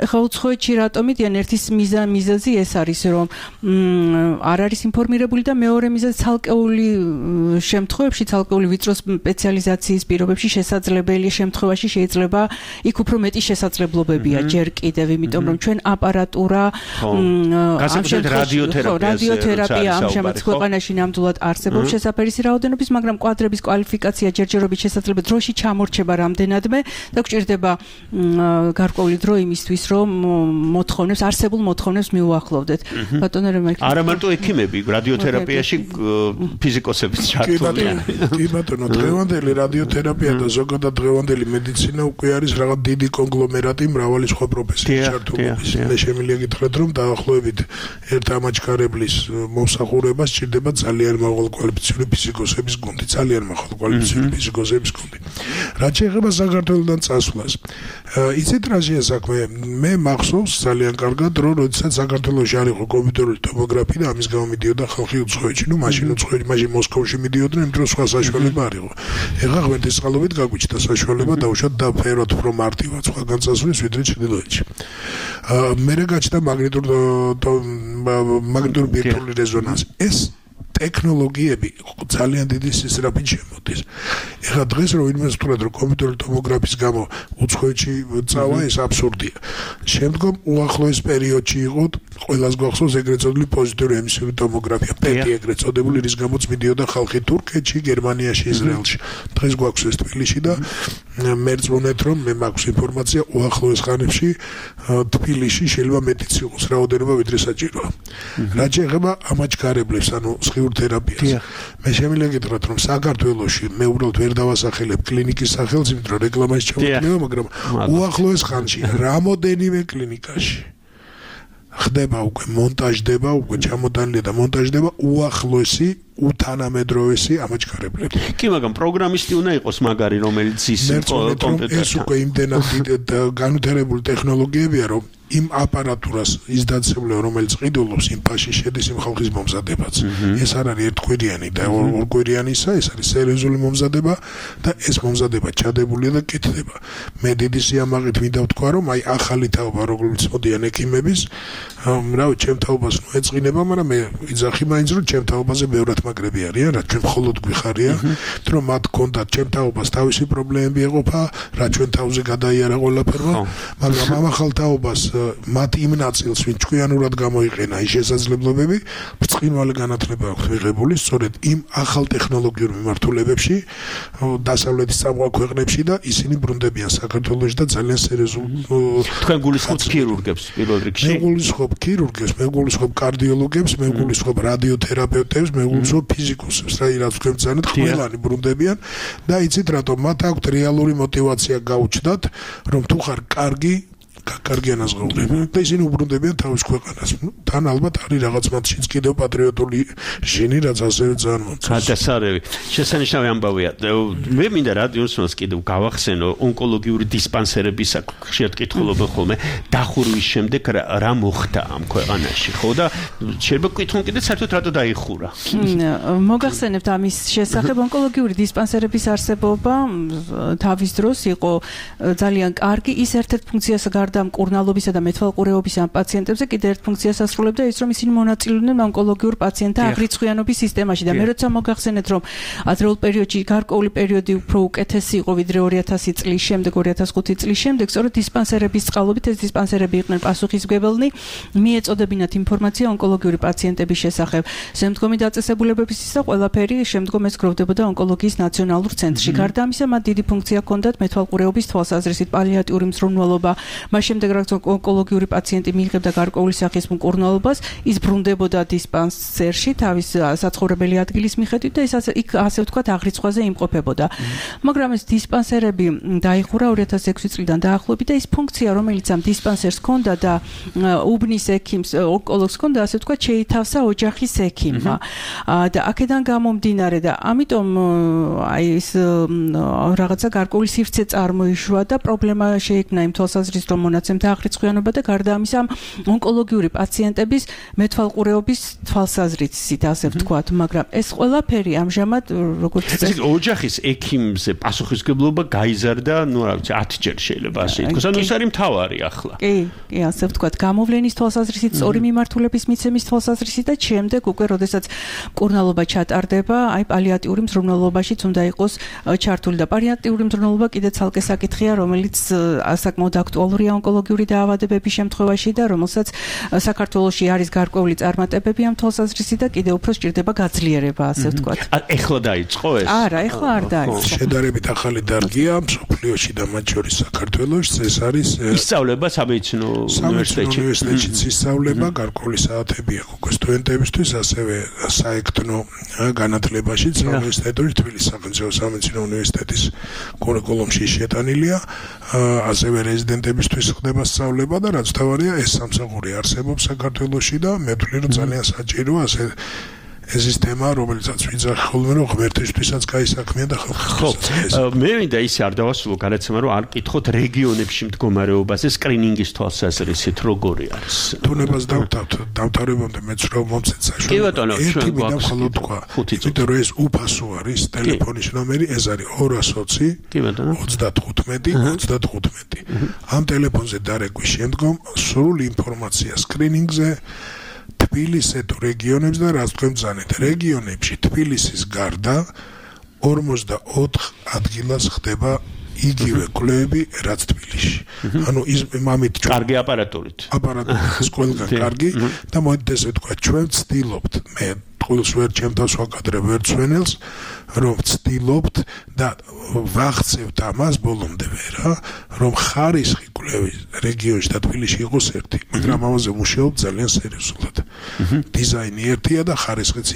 ხა უცხოეთში რატომ მიდიან, ერთი მიზეზი ეს არის, რომ არ არის ინფორმირებული და მეორე მიზეზი ცალკეული შემთხვევებში, ცალკეული ვიწრო სპეციალიზაციის პირობებში შესაძლებელი შემთხვევაში შეიძლება იქ უფრო მეტი შესაძლებლობებია ჯერ კიდევ, იმიტომ რომ ჩვენ აპარატურა რადიოთერაპია ამჟამად ქვეყანაში ნამდვილად არსებობს შესაფერისი რაოდენობის, მაგრამ კვადრების კვალიფიკაცია ჯერჯერობით შესაძლებელი დროში ჩამორჩება რამდენადმე და გვჭირდება გარკვეული დრო იმისთვის, რომ მოთხოვნებს, არსებულ მოთხოვნებს მიუახლოვდეთ. ბატონო რემა, არა მარტო ექიმები, რადიოთერაპიაში ფიზიკოსებიც ჩართულია. კი ბატონო, დღევანდელი რადიოთერაპია და ზოგადად დღევანდელი მედიცინა უკვე არის რაღაც დიდი კონგლომერატი მრავალი სხვა პროფესიის ჩართულობის. მე შემიძლია გითხრათ, რომ დაახლოებით ერთ ამაჩქარებლის მომსახურებას სჭირდება ძალიან მაღალკვალიფიციური ფიზიკოსების გუნდი, ძალიან მაღალკვალიფიციური ფიზიკოსების გუნდი. რაც შეეხება საქართველოსთან წასვლას, იცით რა შეასაქმე? მე მახსოვს ძალიან კარგად, რომ როდესაც საქართველოში არ იყო კომპიუტერული ტომოგრაფია და ამის გამო მიდიოდა ხალხი უცხოეთში, ნუ მაშინ უცხოეთში, მაშინ მოსკოვში მიდიოდნენ, იმიტომ რომ სხვა საშუალება არ იყო. ეხლა ღმერთისწყალობით გაგვიჩნდა საშუალება დაუშვათ და ფეროთ უფრო მარტივად სხვა განცასვლის ვიდრე ჩრდილოეთში. მე გაჩნდა მაგნიტური ბირთვული რეზონანსი. ეს ტექნოლოგიები ძალიან დიდი სისწრაფით შემოდის. ეხლა დღეს რომ ვინმე ვთქვათ, რომ კომპიუტერული ტომოგრაფიის გამო უცხოეთში წავა, ეს აბსურდია. შემდგომ უახლოეს პერიოდში იყო ყველას გვახსოვს ეგრეთ წოდებული პოზიტიური ემისიური ტომოგრაფია, პეტი ეგრეთ წოდებული, რის გამოც მიდიოდა ხალხი თურქეთში, გერმანიაში, ისრაელში. დღეს გვაქვს ეს თბილისში და მე წვენეთ, რომ მე მაქვს ინფორმაცია უახლოეს ხანებში თბილისში შეიძლება მეტიც იყოს რაოდენობა ვიდრე საჭიროა. რაც შეეხება ამაჩქარებლებს, ანუ სხიურ თერაპიას. მე შემიძლია გითხრათ, რომ საქართველოში მე უბრალოდ ვერ დავასახელებ კლინიკის სახელს, იმიტომ რომ რეკლამაში ჩავატარებ, მაგრამ უახლოეს ხანში რამოდენიმე კლინიკაში ხდება უკვე მონტაჟდება, უკვე ჩამოტანილია და მონტაჟდება უახლოესი უთანამედროვესი ამაჩქარებლები. კი, მაგრამ პროგრამისტი უნდა იყოს მაგარი, რომელიც ის კომპიუტერთან. ეს უკვე იმდენად განვითარებული ტექნოლოგიებია, რომ იმ აპარატურას ის დაცემლება, რომელიც ყიდულობს იმ ფაში შედის იმ ხალხის მომზადებაც. ეს არ არის ერთკვირიანი და ორკვირიანისა, ეს არის სერიოზული მომზადება და ეს მომზადება ჩადებულია და კეთდება. მე დიდი სიამაყით მინდა ვთქვა, რომ აი ახალი თაობა, როგორც მოდიან ექიმების, რავი, ჩემ თაობას ნუ ეწყინება, მაგრამ მე ვიძახი მაინც რომ ჩემ თაობაზე ბევრად მაგრები არიან, რაც ჩვენ მხოლოდ გვიხარია, რომ მათ ჰქონდათ ჩემ თაობას თავისი პრობლემები ეყოფა, რაც ჩვენ თავზე გადაიარა ყველაფერმა, მაგრამ ამ ახალ თაობას მათ იმ ნაწილს, ვინც ჭკვიანურად გამოიყენა ის შესაძლებლობები, ბრწყინვალე განათლება აქვს მიღებული, სწორედ იმ ახალ ტექნოლოგიურ მიმართულებებში, დასავლეთის წამყვან ქვეყნებში და ისინი ბრუნდებიან საქართველოში და ძალიან სერიოზულ თქვენ გულისხმობთ ქირურგებს პირველ რიგში? მე გულისხმობ ქირურგებს, მე გულისხმობ კარდიოლოგებს, მე გულისხმობ რადიოთერაპევტებს, მე გულისხმობ ფიზიკოსებს, რაც თქვენ ბრძანეთ, ყველანი ბრუნდებიან და იცით რატომ მათ აქვთ რეალური мотиваცია გაუჩნდათ, რომ თუ ხარ კარგი ანაზღაურება და ისინი უბრუნდებიან თავის ქვეყანას. თან ალბათ არის რაღაც მათშიც კიდევ პატრიოტული ჟენი, რაც ასევე ძალიან მომწონს. გადასარევი. შესანიშნავი ამბავია. მე მინდა რადიოსმოს კიდევ გავახსენო ონკოლოგიური დისპანსერების ხშირად კითხულობენ ხოლმე დახურვის შემდეგ რა მოხდა ამ ქვეყანაში, ხო და შეიძლება გკითხონ კიდე საერთოდ რატო დაიხურა. მოგახსენებთ ამის შესახებ ონკოლოგიური დისპანსერების არსებობა თავის დროს იყო ძალიან კარგი, ის ერთ-ერთ ფუნქციას გარდა მკურნალობისა და მეთვალყურეობის ამ პაციენტებზე კიდევ ერთ ფუნქციას ასრულებდა ის, რომ ისინი მონაწილეობდნენ ონკოლოგიურ პაციენტთა აგრეთხვიანობის სისტემაში და მე როცა მოგახსენეთ, რომ ადრეულ პერიოდში გარკვეული პერიოდი უფრო უკეთესი იყო ვიდრე 2000 წლის შემდეგ, 2005 წლის შემდეგ, სწორედ დისპანსერების წყალობით ეს დისპანსერები იყვნენ პასუხისმგებელნი, მიეწოდებინათ ინფორმაცია ონკოლოგიური პაციენტების შესახებ. შემდგომი დაწესებულებების ისა ყველაფერი შემდგომ ეს გროვდებოდა ონკოლოგიის ნაციონალურ ცენტრში. გარდა ამისა, მათ დიდი ფუნქცია ჰქონდათ მეთვალყურეობის თვალსაზრისით, პალიატიური მზრუნველობა. შემდეგ რაც ონკოლოგიური პაციენტი მიიღებდა გარკვეული სახის მკურნალობას, ის ბრუნდებოდა დისპანსერში თავის საცხოვრებელი ადგილის მიხედვით და ის იქ ასე ვთქვათ აღრიცხვაზე იმყოფებოდა. მაგრამ ეს დისპანსერები დაიხურა 2006 წლიდან დაახლოებით და ის ფუნქცია, რომელიც ამ დისპანსერს ჰქონდა და უბნის ექიმს, ონკოლოგს ჰქონდა, ასე ვთქვათ, შეითავსა ოჯახის ექიმმა. და აქედან გამომდინარე და ამიტომ აი ეს რაღაცა გარკვეული სივრცე წარმოიშვა და პრობლემა შეექმნა იმ თვალსაზრისით, რომ მონაცემთა აღრიცხვიანობა და გარდა ამისა ონკოლოგიური პაციენტების მეთვალყურეობის თვალსაზრისით, ასე ვთქვათ, მაგრამ ეს ყველაფერი ამჟამად როგორც ეს ოჯახის ექიმზე პასუხისმგებლობა გაიზარდა, ნუ რა ვიცი, 10 ჯერ შეიძლება ასე ითქვას. ანუ ეს არის მთავარი ახლა. კი, ასე ვთქვათ, გამოვლენის თვალსაზრისით, სწორი მიმართულების მიცემის თვალსაზრისით და შემდეგ უკვე როდესაც მკურნალობა ჩატარდება, აი პალიატიური მზრუნველობაშიც უნდა იყოს ჩართული და პალიატიური მზრუნველობა კიდე ცალკე საკითხია, რომელიც საკმაოდ აქტუალურია ონკოლოგიური დაავადებების შემთხვევაში და რომელსაც საქართველოში არის გარკვეული წარმატებები ამ თვალსაზრისით და კიდევ უფრო სჭირდება გაძლიერება, ასე ვთქვათ. ეხლა დაიწყო ეს? არა, ეხლა არ დაიწყო. შედარებით ახალი დარგია მსოფლიოში და მათ შორის საქართველოში, ეს არის ისწავლება სამედიცინო უნივერსიტეტში. ისწავლება გარკვეული საათები აქვს უკვე სტუდენტებისთვის, ასევე საექთნო განათლებაში უნივერსიტეტში, თბილისის სახელმწიფო სამედიცინო უნივერსიტეტის კურიკულუმში შეტანილია, ასევე რეზიდენტებისთვის ხდება სწავლება და რაც თავარია ეს სამსახური არსებობს საქართველოში და მე ვთვლი რომ ძალიან საჭიროა ასე ეს ის თემა, რომელსაც ვიძახი ხოლმე, რომ ღმერთისთვისაც გაისაქმია და ხალხისთვისაც. მე მინდა ისე არ დავასრულო გადაცემა, რომ არ კითხოთ რეგიონებში მდგომარეობაზე სკრინინგის თვალსაზრისით როგორი არის. თუნებას დავთავრებამდე მეც რომ მომცეთ საშუალება. კი ბატონო, ჩვენ გვაქვს თქვა. იმიტომ რომ ეს უფასო არის, ტელეფონის ნომერი, ეს არის 220 კი ბატონო 35. ამ ტელეფონზე დარეგვის შემდგომ სრული ინფორმაცია სკრინინგზე თბილისზე თუ რეგიონებში და რაც თქვენ ბრძანეთ რეგიონებში თბილისის გარდა 44 ადგილას ხდება იგივე კვლევები რაც თბილისში. ანუ ის მამით კარგი აპარატურით. აპარატურით ყველგან კარგი და მოედეთ ესე ვთქვა ჩვენ ვცდილობთ მე ყოველს ვერ ჩემთავს ვაკადრებ ვერ ცვენელს რომ ვცდილობთ და ვახცევთ ამას ბოლომდე რა რომ ხარისხი კვლევის რეგიონში და თბილისში იყოს ერთი მაგრამ ამაზე მუშაობ ძალიან სერიოზულად. დიზაინი ერთია და ხარისხიც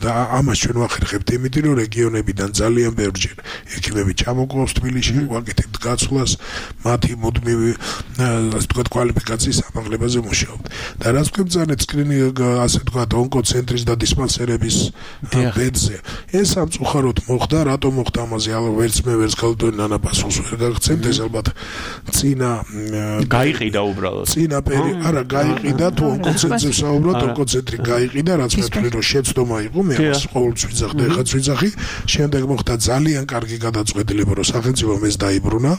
და ამას ჩვენ ვახერხებთ იმით რომ რეგიონებიდან ძალიან ბევრჯერ ექიმები ჩამოგვყავს თბილისში ვაკეთებთ გაცვლას მათი მუდმივი ასე ვთქვათ, კვალიფიკაციის ამაღლებაზე მუშაობთ. და რაც გვებძანეთ სკრინინგ, ასე ვთქვათ, ონკოცენტრის და დისპანსერების ბედზე, ეს სამწუხაროდ მოხდა, რატომ მოხდა ამაზე ვერც მე ვერც ქალბატონი ნანა პასუხს ვერ გაგცემთ, ეს ალბათ წინა გაიყიდა უბრალოდ. წინა არა გაიყიდა, თუ ონკოცენტრზე საუბრობთ, ონკოცენტრი გაიყიდა, რაც მეთქი რომ შეცდომა იყო, მე ამას ყოველთვის ვიძახდი, ეხაც ვიძახი, შემდეგ მოხდა ძალიან კარგი გადაწყვეტილება, რომ სახელმწიფომ ეს დაიბრუნა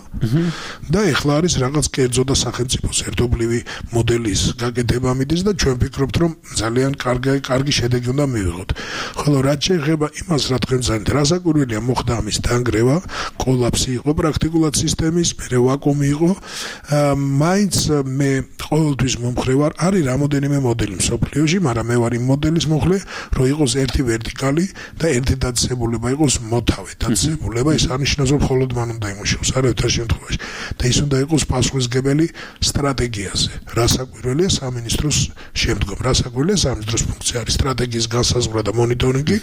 და ეხლა არის რაღაც კერძო და სახელმწიფოს ერთობლივი მოდელის გაკეთება მიდის და ჩვენ ვფიქრობთ, რომ ძალიან კარგი შედეგი უნდა მივიღოთ. ხოლო რაც შეეხება იმას, რა თქვენ ძალიან რასაკვირველია, მოხდა ამის დანგრევა, კოლაფსი იყო პრაქტიკულად სისტემის, მერე ვაკუუმი იყო. მაინც მე ყოველთვის მომხრე ვარ, არის რამოდენიმე მოდელი მსოფლიოში, მაგრამ მე ვარ იმ მოდელის მომხრე, რომ იყოს ერთი ვერტიკალი და ერთი დაწესებულება იყოს მოთავე დაწესებულება, ეს არნიშნავს, რომ მხოლოდ მან უნდა იმუშაოს, არავითარ შემთხვევაში. და ის უნდა იყოს პასუხისმგებელი სტრატეგიაზე. რასაკვირველია სამინისტროს შემდგომ, რასაკვირველია სამინისტროს ფუნქცია არის სტრატეგიის განსაზღვრა და მონიტორინგი,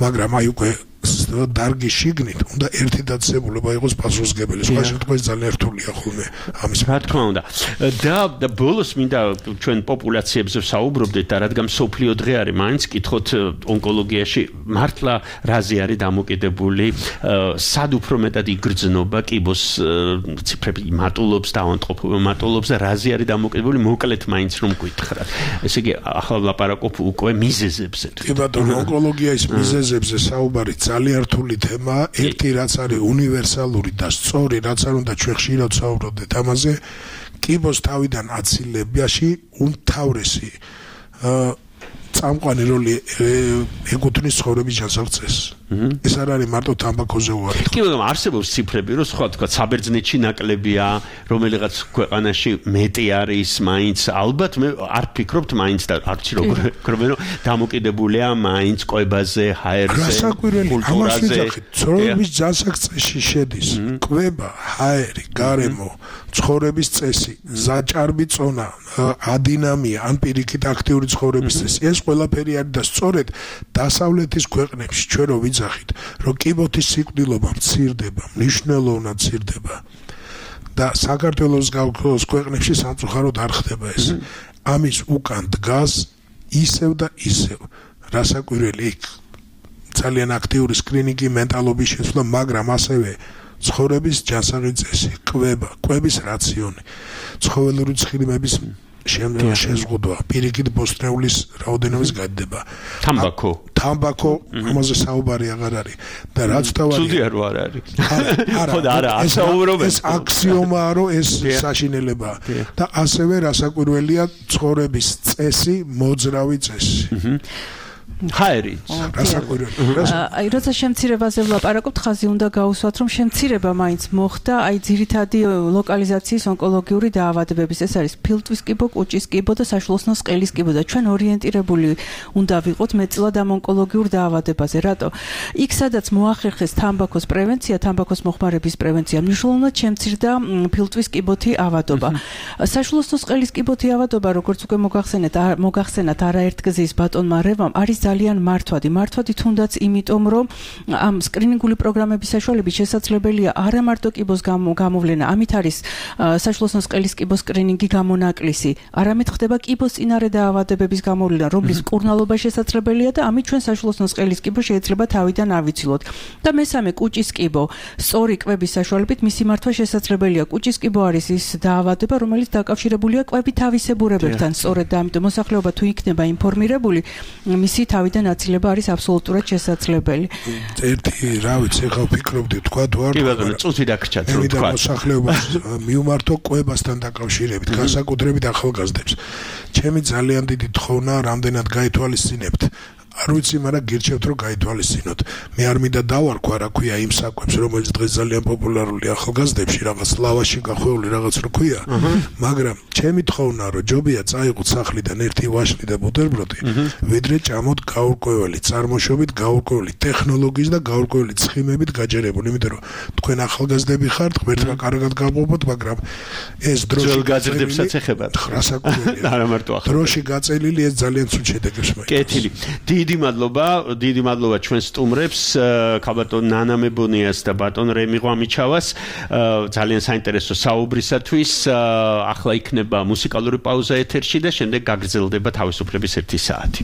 მაგრამ აი უკვე დარგის შიგნით უნდა ერთი დაწესებულება იყოს პასუხისმგებელი. სხვა შემთხვევაში ძალიან რთულია ხოლმე ამის. რა თქმა უნდა. და ბოლოს მინდა ჩვენ პოპულაციებზე საუბრობდეთ და რადგან სოფლიო დღე არის, მაინც კითხოთ ონკოლოგიაში მართლა რაზე არის დამოკიდებული, სად უფრო მეტად იგრძნობა კიბოს ციფრები მატულობს და ავადმყოფობა მატულობს და რაზე არის დამოკიდებული, მოკლედ მაინც რომ გითხრათ. ესე იგი ახლა ვლაპარაკობ უკვე მიზეზებზე. კი ბატონო, ონკოლოგიის მიზეზებზე საუბარი ძალიან რთული თემაა. ერთი რაც არის უნივერსალური და სწორი, რაც არ უნდა ჩვენ ხშირად საუბრობდეთ ამაზე, კიბოს თავიდან აცილებაში უმთავრესი წამყვანი როლი ეკუთვნის ცხოვრების ჯანსაღწესს. ეს არ არის მარტო თამბაქოზე უარი. კი, მაგრამ არსებობს ციფრები, რომ სხვა თქვა საბერძნეთში ნაკლებია, რომელიღაც ქვეყანაში მეტი არის, მაინც ალბათ მე არ ფიქრობთ მაინც და არც როგორ რომ დამოკიდებულია მაინც კვებაზე, ჰაერზე, კულტურაზე. ცხოვრების ჯანსაღწესში შედის კვება, ჰაერი, გარემო, ცხოვრების წესი, ზაჭარბი წონა, ადინამია, ან პირიქით აქტიური ცხოვრების წესი. ეს ყველაფერი არის და სწორედ დასავლეთის ქვეყნებში ჩვენ რო ვიძახით, რომ კიბოთის სიკვდილობა მცირდება, მნიშვნელოვნად მცირდება და საქართველოს გავქოს ქვეყნებში სამწუხაროდ არ ხდება ეს. ამის უკან დგას ისევ და ისევ რასაკვირველი იქ ძალიან აქტიური სკრინინგი, მენტალობის შეცვლა, მაგრამ ასევე ცხოვრების ჯანსაღი წესი, კვების რაციონი, ცხოველური ცხიმების შეზღუდვა, პირიქით ბოსტნეულის რაოდენობის გადდება. თამბაქო, ამაზე საუბარი აღარ არის. და რაც თავარი ცუდია რო არ არის. არა, ეს აქსიომაა, რომ ეს საშინელებაა. და ასევე რასაკვირველია ცხოვრების წესი, მოძრავი წესი. ჰაერი. აი, როცა შემცირებაზე ვლაპარაკობთ, ხაზი უნდა გაუსვათ, რომ შემცირება მაინც მოხდა, აი ძირითადი ლოკალიზაციის ონკოლოგიური დაავადებების, ეს არის ფილტვის კიბო, კუჭის კიბო და საშუალოსნო სყელის კიბო და ჩვენ ორიენტირებული უნდა ვიყოთ მეტწილად ამ ონკოლოგიურ დაავადებაზე. რატო? იქ სადაც მოახერხეს თამბაქოს პრევენცია, თამბაქოს მოხმარების პრევენცია, მნიშვნელოვნად შემცირდა ფილტვის კიბოთი ავადობა. საშუალოსნო სყელის კიბოთი ავადობა, როგორც უკვე მოგახსენათ არაერთგზის ბატონმა რევამ, არის ძალიან მართვადი თუნდაც იმიტომ, რომ ამ სკრინინგული პროგრამების საშუალებით შესაძლებელია არა მარტო კიბოს გამოვლენა, ამით არის საშუალოსნო სყელის კიბოს სკრინინგი გამონაკლისი, არამედ ხდება კიბოს წინარე დაავადებების გამოვლენა, რომლის მკურნალობა შესაძლებელია და ამით ჩვენ საშუალოსნო სყელის კიბო შეიძლება თავიდან ავიცილოთ. და მესამე, კუჭის კიბო, სწორი კვების საშუალებით მისი მართვა შესაძლებელია. კუჭის კიბო არის ის დაავადება, რომელიც დაკავშირებულია კვებით თავისებურებებთან, სწორედ და ამიტომ მოსახლეობა თუ იქნება ინფორმირებული, მისი თავიდან აცილება არის აბსოლუტურად შესაძლებელი. ერთი, რა ვიცი, ხა ვფიქრობდი თქვა თუ არ. კი ბატონო, წუთი დაგრჩათ რომ თქვა. მოსახლეობას მიუმართო კვებასთან დაკავშირებით, განსაკუთრებით ახალგაზრდებს. ჩემი ძალიან დიდი თხოვნა, რამდენად გაითვალისწინებთ. არ ვიცი, მაგრამ გირჩევთ რომ გაითვალისწინოთ. მე არ მინდა დავარქვა, რა ქვია იმ საკვებს, რომელიც დღეს ძალიან პოპულარულია ახალგაზრდებში, რაღაც ლავაში გახვეული რაღაც რო ქვია, მაგრამ ჩემი თხოვნა რომ ჯობია წაიღოთ სახლიდან ერთი ვაშლი და ბუტერბროდი, ვიდრე ჭამოთ გაურკვეველი წარმოშობით, გაურკვეველი ტექნოლოგიის და გაურკვეველი ცხიმებით გაჯერებული, იმიტომ რომ თქვენ ახალგაზრდები ხართ, ღმერთმა კარგად გავყოფოთ, მაგრამ ეს დროში გაზრდებსაც ეხებათ. არა მარტო ახლა. დროში გაწელილი ეს ძალიან ცუდ შედეგებს მოიწონს. კეთილი. დიდი მადლობა ჩვენ სტუმრებს, ქალბატონ ნანა მებონიას და ბატონ რემი ღვამიჩავას ძალიან საინტერესო საუბრისათვის. ახლა იქნება მუსიკალური პაუზა ეთერში და შემდეგ გაგრძელდება თავისუფლების 1 საათი.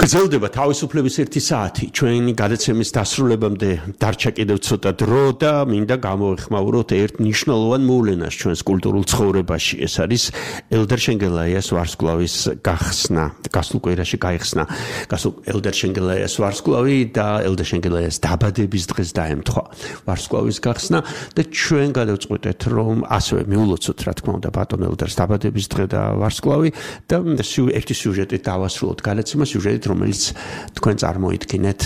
გრძელდება თავისუფლების 1 საათი. ჩვენი გადაცემის დასრულებამდე დარჩა კიდევ ცოტა დრო და მინდა გამოვეხმაუროთ ერთ მნიშვნელოვან მოვლენას ჩვენს კულტურულ ცხოვრებაში. ეს არის ელდერ შენგელაიას ვარსკვლავის გახსნა. გასულ კვირაში გაიხსნა ელდერ შენგელაიას ვარსკვლავი და ელდერ შენგელაიას დაბადების დღეს დაემთხვა ვარსკვლავის გახსნა და ჩვენ გადავწყვეტეთ რომ ასევე მიულოცოთ რა თქმა უნდა ბატონ ელდერს დაბადების დღე და ვარსკვლავი და ერთი სიუჟეტით დავასრულოთ გადაცემა სიუჟეტით რომელიც თქვენ წარმოიდგინეთ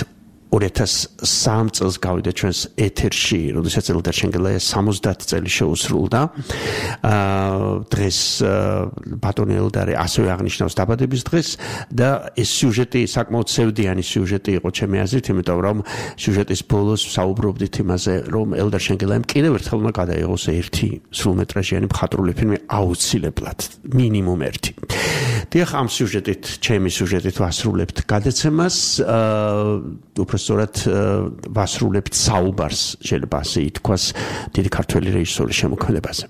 2003 წელს გავიდა ჩვენს ეთერში, როდესაც ელდარ შენგელაიას 70 წელი შეუსრულდა. დღეს ბატონი ელდარი ასევე აღნიშნავს დაბადების დღეს და ეს სიუჟეტი საკმაოდ სევდიანი სიუჟეტი იყო ჩემი აზრით, იმიტომ რომ სიუჟეტის ბოლოს საუბრობდით იმაზე, რომ ელდარ შენგელაიამ კიდევ ერთხელ უნდა გადაიღოს ერთი სრულმეტრაჟიანი მხატვრული ფილმი აუცილებლად, მინიმუმ ერთი. დიახ, ამ სიუჟეტით, ჩემი სიუჟეტით ვასრულებთ გადაცემას, უბრალოდ ვასრულებთ საუბარს, შეიძლება ასე ითქვას, დიდი ქართველი რეჟისორის შემოქმედებაზე.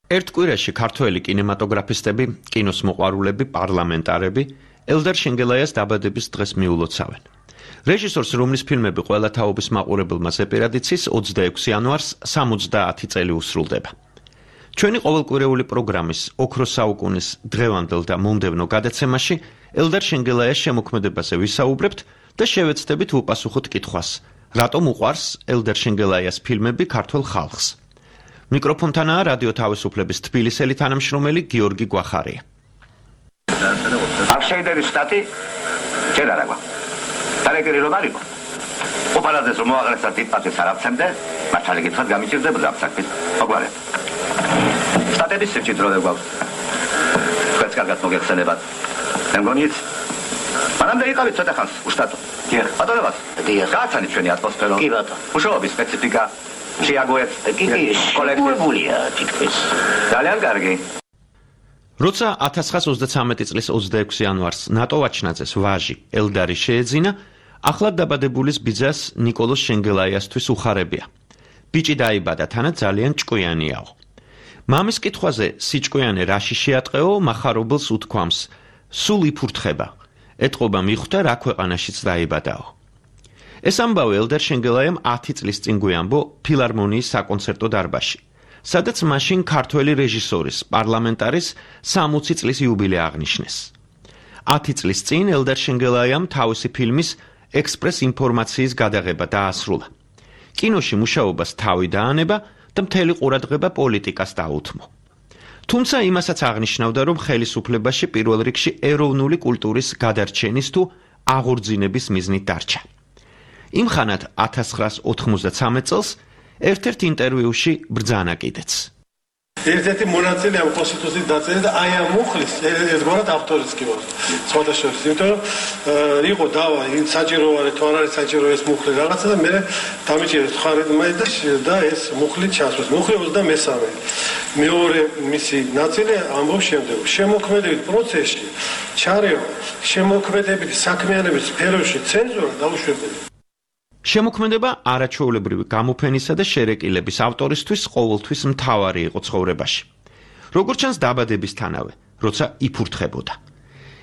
ერთ კვირაში ქართველი კინემატოგრაფისტები, კინოს მოყვარულები, პარლამენტარები ელდარ შენგელაიას დაბადების დღეს მიულოცავენ. რეჟისორს, რომლის ფილმები ყველა თაობის მაყურებელმა ზეპირად იცის, 26 იანვარს 70 წელი უსრულდება. ჩვენი ყოველკვირეული პროგრამის ოქროს საუკუნის დღევანდელ და მომდევნო გადაცემაში ელდარ შენგელაიას შემოქმედებაზე ვისაუბრებთ და შევეცდებით უპასუხოთ კითხვას, რატომ უყვარს ელდარ შენგელაიას ფილმები ქართულ ხალხს. მიკროფონთანაა რადიო თავისუფლების თბილისელი თანამშრომელი გიორგი გვახარია. აღშენდების სტატი ჯერ არა გვაქვს. დარეგერი რომ არისო. უპარადეს რომ მოაღრესა დიპატის არაფცემდე, მათ შეგიძლიათ გამიჭირდებოდა საფრთხის. მოგვარეთ. სტატების სიჭიდროვე გვაქვს. თქვენს კარგად მოგეხსენებათ. მე მგონით მანამდე იყავით ცოტა ხანს უშტატო. დიახ, ბატონებად. დიახ. გააცანით ჩვენი ატმოსფერო. კი ბატონო. მუშაობის სპეციფიკა შეაგოეთ. კი, კოლექტივულია თითქმის. ძალიან კარგი. როცა 1933 წლის 26 იანვარს ნატო ვაჩნაძეს ვაჟი ელდარი შეეძინა, ახლად დაბადებულის ბიძას ნიკოლოზ შენგელაიასთვის უხარებია. ბიჭი დაიბადა თანაც ძალიან ჭკვიანიაო. მამის კითხვაზე სიჭკვიანე რაში შეატყეო, მახარობელს უთქვამს, სულ იფურთხება. ეტყობა მიხვდა რა ქვეყანაშიც დაიბადაო. ეს ამბავი ელდარ შენგელაიამ 10 წლის წინ გვიამბო ფილარმონიის საკონცერტო დარბაზში, სადაც მაშინ ქართველი რეჟისორის, პარლამენტარის 60 წლის იუბილე აღნიშნეს. 10 წლის წინ ელდარ შენგელაიამ თავისი ფილმის ექსპრეს ინფორმაციის გადაღება დაასრულა. კინოში მუშაობას თავი დაანება და მთელი ყურადღება პოლიტიკას დაუთმო. თუმცა იმასაც აღნიშნავდა, რომ ხელისუფლებაში პირველ რიგში ეროვნული კულტურის გადარჩენის თუ აღორძინების მიზნით დარჩა. იმხანად 1993 წელს ერთ-ერთ ინტერვიუში ბრძანა კიდეც. ერთ-ერთი მონაწილე ამ კონსტიტუციის დაწერა და აი ამ მუხლის ერთგვარად ავტორიც კი ვარ. სხვათა შორის, იმიტომ რომ იყო დავა, საჭირო არის თუ არ არის საჭირო ეს მუხლი რაღაცა და მე დამიჭირეს ხარდმაი და ეს მუხლი ჩასვეს. მუხლი 23. მეორე მისი ნაწილი ამბობს შემდეგ. შემოქმედებით პროცესში ჩარევა, შემოქმედებით საქმიანობის სფეროში ცენზურა დაუშვებელი. შემოქმედება არაჩვეულებრივი გამოფენისა და შერეკილების ავტორისთვის ყოველთვის მთავარი იყო ცხოვრებაში. როგორც ჩანს დაბადებისთანავე, როცა იფურთხებოდა.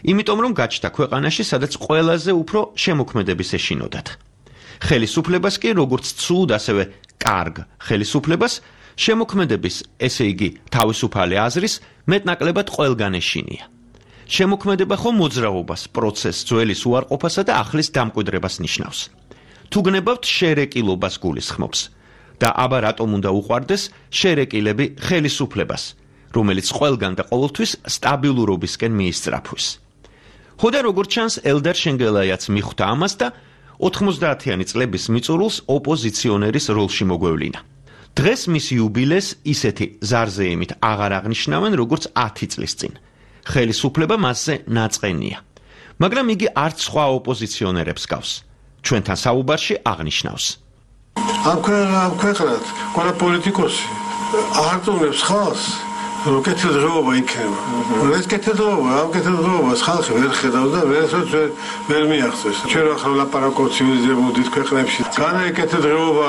იმიტომ რომ გაჩნდა ქვეყანაში, სადაც ყველაზე უფრო შემოქმედების ეშინოდათ. ხელისუფლებას კი როგორც ცუდ, ასევე კარგ ხელისუფლებას შემოქმედების, ესე იგი, თავისუფალი აზრის მეტნაკლებად ყველგან ეშინია. შემოქმედება ხომ მოძრაობას, პროცესს, ძველის უარყოფასა და ახლის დამკვიდრებას ნიშნავს. თუ გნებავთ შერეკილობას გულისხმობს და აბა რატომ უნდა უყვარდეს შერეკილები ხელისუფლებას, რომელიც ყველგან და ყოველთვის სტაბილურობისკენ მიისწრაფვის. ხოდა როგორც ჩანს ელდარ შენგელაიაც მიხვდა ამას და 90-იანი წლების მიწურულს ოპოზიციონერის როლში მოგვევლინა. დღეს მის იუბილეს ისეთი ზარზეიმით აღარ აღნიშნავენ როგორც 10 წლის წინ. ხელისუფლება მასზე ნაწყენია. მაგრამ იგი არც სხვა ოპოზიციონერებს გავს. ჩვენთან საუბარში აღნიშნავს. ამ ქვეყნად ყველა პოლიტიკოსი არტონებს ხალხს, რომ კეთილდღეობა იქნება. ეს კეთილდღეობა, ამ კეთილდღეობას ხალხი ვერ ხედავს და ვერ მიაღწევს. ჩვენ ახლა ლაპარაკობთ ცივილიზებულ ქვეყნებში. განა კეთილდღეობა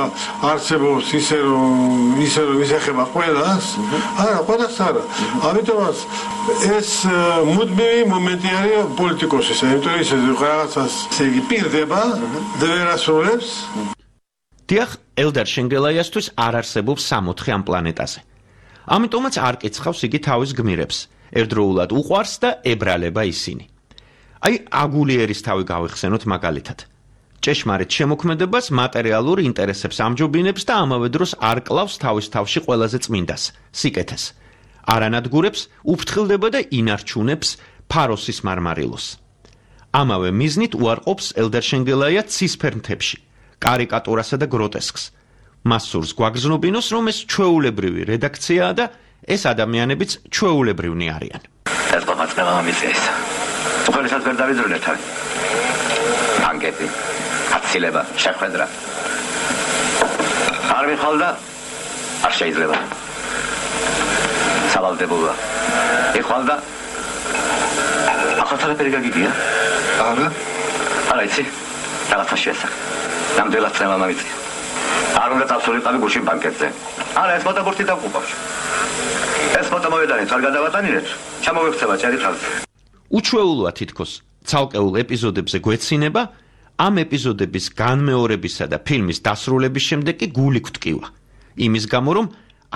არსებობს ისე რომ ისეხება ყველას? არა, ყველას არა. ამიტომაც ეს მუდმივი მომენტი არის პოლიტიკოსის, იმიტომ ისე რაღაცას იგი პირდება და ვერ ასრულებს. დიახ, ელდარ შენგელაიასთვის არ არსებობს 64 ამ პლანეტაზე. ამიტომაც არ კიცხავს იგი თავის გმირებს, ერთდროულად უყვარს და ებრალება ისინი. აი, აგულიერის თავი გავიხსენოთ მაგალითად. ჭეშმარიტ შემოქმედებას მატერიალურ ინტერესებს ამჯობინებს და ამავე დროს არ კლავს თავის თავში ყველაზე წმინდას, სიკეთეს. არ ანადგურებს, უფრთხილდება და ინარჩუნებს ფაროსის მარმარილოს. ამავე მიზნით უარყოფს ელდარ შენგელაია ცისფერ მთებში, კარიკატურასა და გროტესკს. მას სურს გვაგრძნობინოს, რომ ეს ჩვეულებრივი რედაქციაა და ეს ადამიანებიც ჩვეულებრივნი არიან. ეს ყომაცნება მომიწეს. უხელესაც ვერ დავიძრუნეთ არის. ანგეთი, აცილება, შეხვედრა. არ მიხვალდა, არ შეიძლება. სავალდებულა. იხვალდა. ახალთალეპერი გაგიგია? არა იცი, რაღაცა შეესახ. ნამდვილად წევა მომიწე. არ უნდა წავსულიყავი გუშინ ბანკეტზე. არა, ეს ფოტობურთი დავყუპავს. ეს ფოტო მოვედანეთ, არ გადავატანილეთ. ჩამოვექცევა ჭერი ხალხი. უჩვეულოა თითქოს ცალკეულ ეპიზოდებზე გვეცინება, ამ ეპიზოდების განმეორებისა და ფილმის დასრულების შემდეგ კი გული გვტკივა. იმის გამო, რომ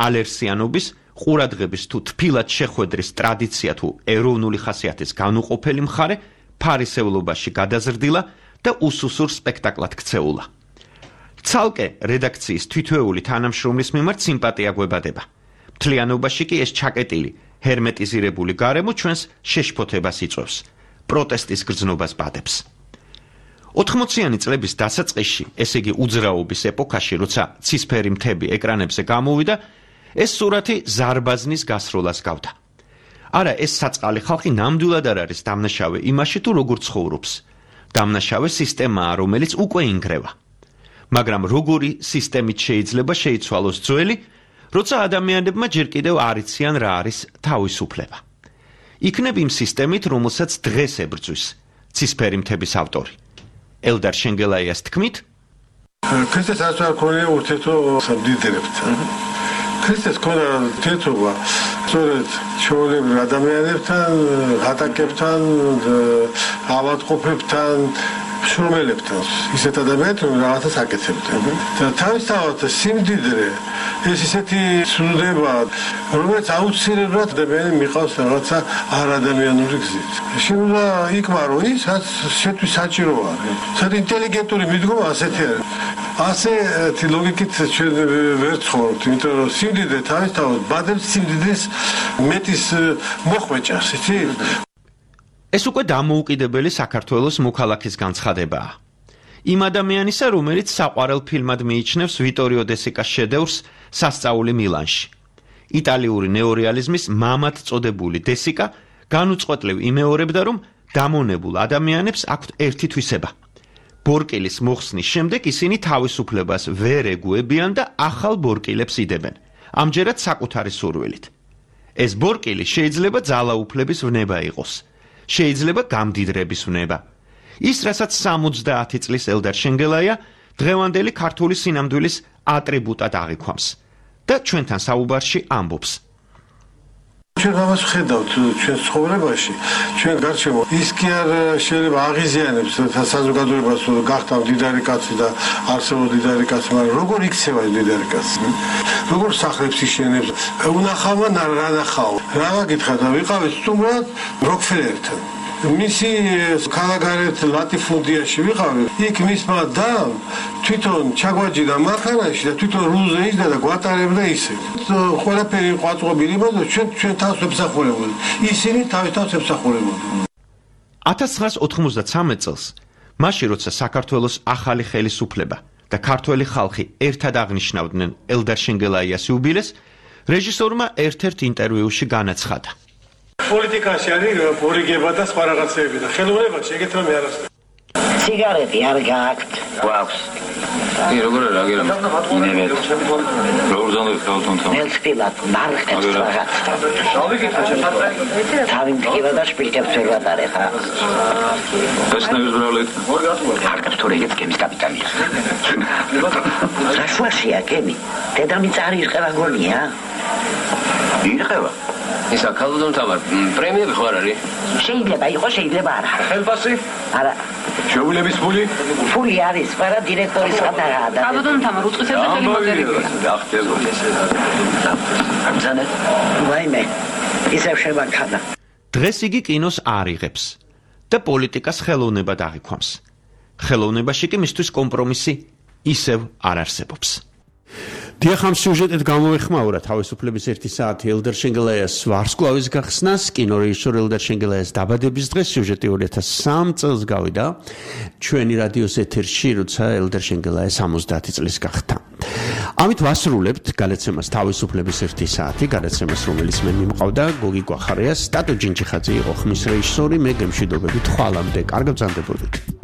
ალერსიანობის, ყურადღების თუ თბილად შეხვედრის ტრადიცია თუ ეროვნული ხასიათის განუყოფელი მხარე ფარისევლობაში გადაზრდილა და უსუსურ სპექტაკლად ქცეულა. ცალკე რედაქციის თითოეული თანამშრომლის მიმართ სიმპათია გვებადება. მთლიანობაში კი ეს ჩაკეტილი, ჰერმეტიზირებული გარემო ჩვენს შეშფოთებას იწვევს, პროტესტის გრძნობას ბადებს. 80-იანი წლების დასაწყისში, ესე იგი უძრაობის ეპოქაში, როცა ცისფერი მთები ეკრანებზე გამოვიდა, ეს სურათი ზარბაზნის გასროლას გავდა. არა, ეს საწყალი ხალხი ნამდვილად არ არის დამნაშავე იმაში თუ როგორ ცხოვრობს. დამნაშავე სისტემაა, რომელიც უკვე ინგრევა. მაგრამ როგორი სისტემით შეიძლება შეიცვალოს ძველი, როცა ადამიანებმა ჯერ კიდევ არ იციან რა არის თავისუფლება. იქნებ იმ სისტემით, რომელსაც დღეს ებრძვის ცისფერი მთების ავტორი. ელდარ შენგელაიას თქმით, ქრისტეს არ ქონია ურთიერთობა სამდიდრებთან. ქრისტეს ქონდა ურთიერთობა სწორედ ჩვეულებრივ ადამიანებთან, ღატაკებთან, ავადმყოფებთან, შრომელებთან. ისეთ ადამიანებთან, რაღაცას აკეთებდნენ. და თავისთავად სიმდიდრე ეს ისეთი ცნდება, რომელიც აუცილებლად ადამიანი მიყავს რაღაცა არადამიანური გზით. შეიძლება იკმარო ის, რაც შეთვის საჭირო არის. საერთოდ ინტელიგენტური მიდგომა ასეთი არის. ასეთი ლოგიკით ჩვენ ვერ ცხოვრობთ, იმიტომ რომ სიმდიდრე თავისთავად ბადებს სიმდიდრის მეტის მოხვეჭას, იცი? ეს უკვე დამოუკიდებელი საქართველოს მოქალაქის განცხადებაა. იმ ადამიანისა, რომელიც საყვარელ ფილმად მიიჩნევს ვიტორიო დესიკას შედევრს სასწაული მილანში. იტალიური ნეორეალიზმის მამად წოდებული დესიკა განუწყვეტლივ იმეორებდა, რომ დამონებულ ადამიანებს აქვთ ერთი თვისება. ბორკილის მოხსნის შემდეგ ისინი თავისუფლებას ვერ ეგუებიან და ახალ ბორკილებს იდებენ, ამჯერად საკუთარი სურვილით. ეს ბორკილი შეიძლება ძალაუფლების ვნება იყოს, შეიძლება გამდიდრების ვნება. ის, რასაც 70 წლის ელდარ შენგელაია დღევანდელი ქართული სინამდვილის ატრიბუტად აღიქვამს და ჩვენთან საუბარში ამბობს. ჩვენ ამას ვხედავთ ჩვენ ცხოვრებაში, ჩვენ გარშემო. ის კი არ შეიძლება აღიზიანებს საზოგადოებას, რომ გახდა მდიდარი კაცი და არსებობს მდიდარი კაცი, მაგრამ როგორ იქცევა მდიდარი კაცი? როგორ სახლებს იშენებს? უნახავმა რა ნახავ? რა გაგითხა და ვიყავით სტუმრად როკფელერთან. მისი ქალაქგარეთ ლატიფუნდიაში ვიყავი. იქ მისმა და თვითონ ჩაგვაჯდა მანქანაში და თვითონ რულზე იჯდა და გვატარებდა ისე. ყველაფერი ყვაწყობილი და ჩვენ თავს ვემსახურებოდი. ისინი თავის თავს ემსახურებოდნენ. 1993 წელს, მაშინ როცა საქართველოს ახალი ხელისუფლება და ქართველი ხალხი ერთად აღნიშნავდნენ ელდარ შენგელაიას იუბილეს, რეჟისორმა ერთ-ერთ ინტერვიუში განაცხადა. პოლიტიკაში არის პორიგება და სხვა რაღაცეები და ხელოვნებაში ეგეთ რამე არ არის. სიგარეტი არ გააქვთ? გვაქვს. როგორ რა გერამ? ინევეთ. როგორ ზონდეთ ხალხთან? ელსპილად მარხებს რაღაც. თავი მტკივა და შპილკებს ვერ ვატარებ. ეს ნებისმიერ მარკებს თუ რეგეთ გემის კაპიტანია. რაშუაშია გემი? დედამიწა არ ირყევა გონია? ირყევა. ისა ქალბატონ თამარ, პრემიები ხო არ არის? შეიძლება იყოს, შეიძლება არა. ხელფასი? არა. შეუძლების ფული? ფული არის, მაგრამ დირექტორის ხატაა და ქალბატონ თამარ უწყისებს და ხელი მოწერილია. ამზანე. ვაიმე, ისევ შევანქანა. დღეს იგი კინოს არ იღებს და პოლიტიკას ხელოვნებად აღიქვამს. ხელოვნებაში კი მისთვის კომპრომისი ისევ არ არსებობს. დიახ, ამ სიუჟეტით გამოეხმაურა თავისუფლების 1 საათი ელდერ შენგელაიას ვარსკვლავის გახსნას, კინორეჟისორ ელდერ შენგელაიას დაბადების დღეს სიუჟეტი 2003 წელს გავიდა ჩვენი რადიოს ეთერში, როცა ელდერ შენგელაია 70 წლის გახდა. ამით ვასრულებთ გადაცემას თავისუფლების 1 საათი, გადაცემას რომელიც მე მიმყავდა გოგი კვახარიას, სტატო ჯინჯიხაძე იყო ხმის რეჟისორი, მე გემშვიდობებით ხვალამდე, კარგ ბრძანდებოდით.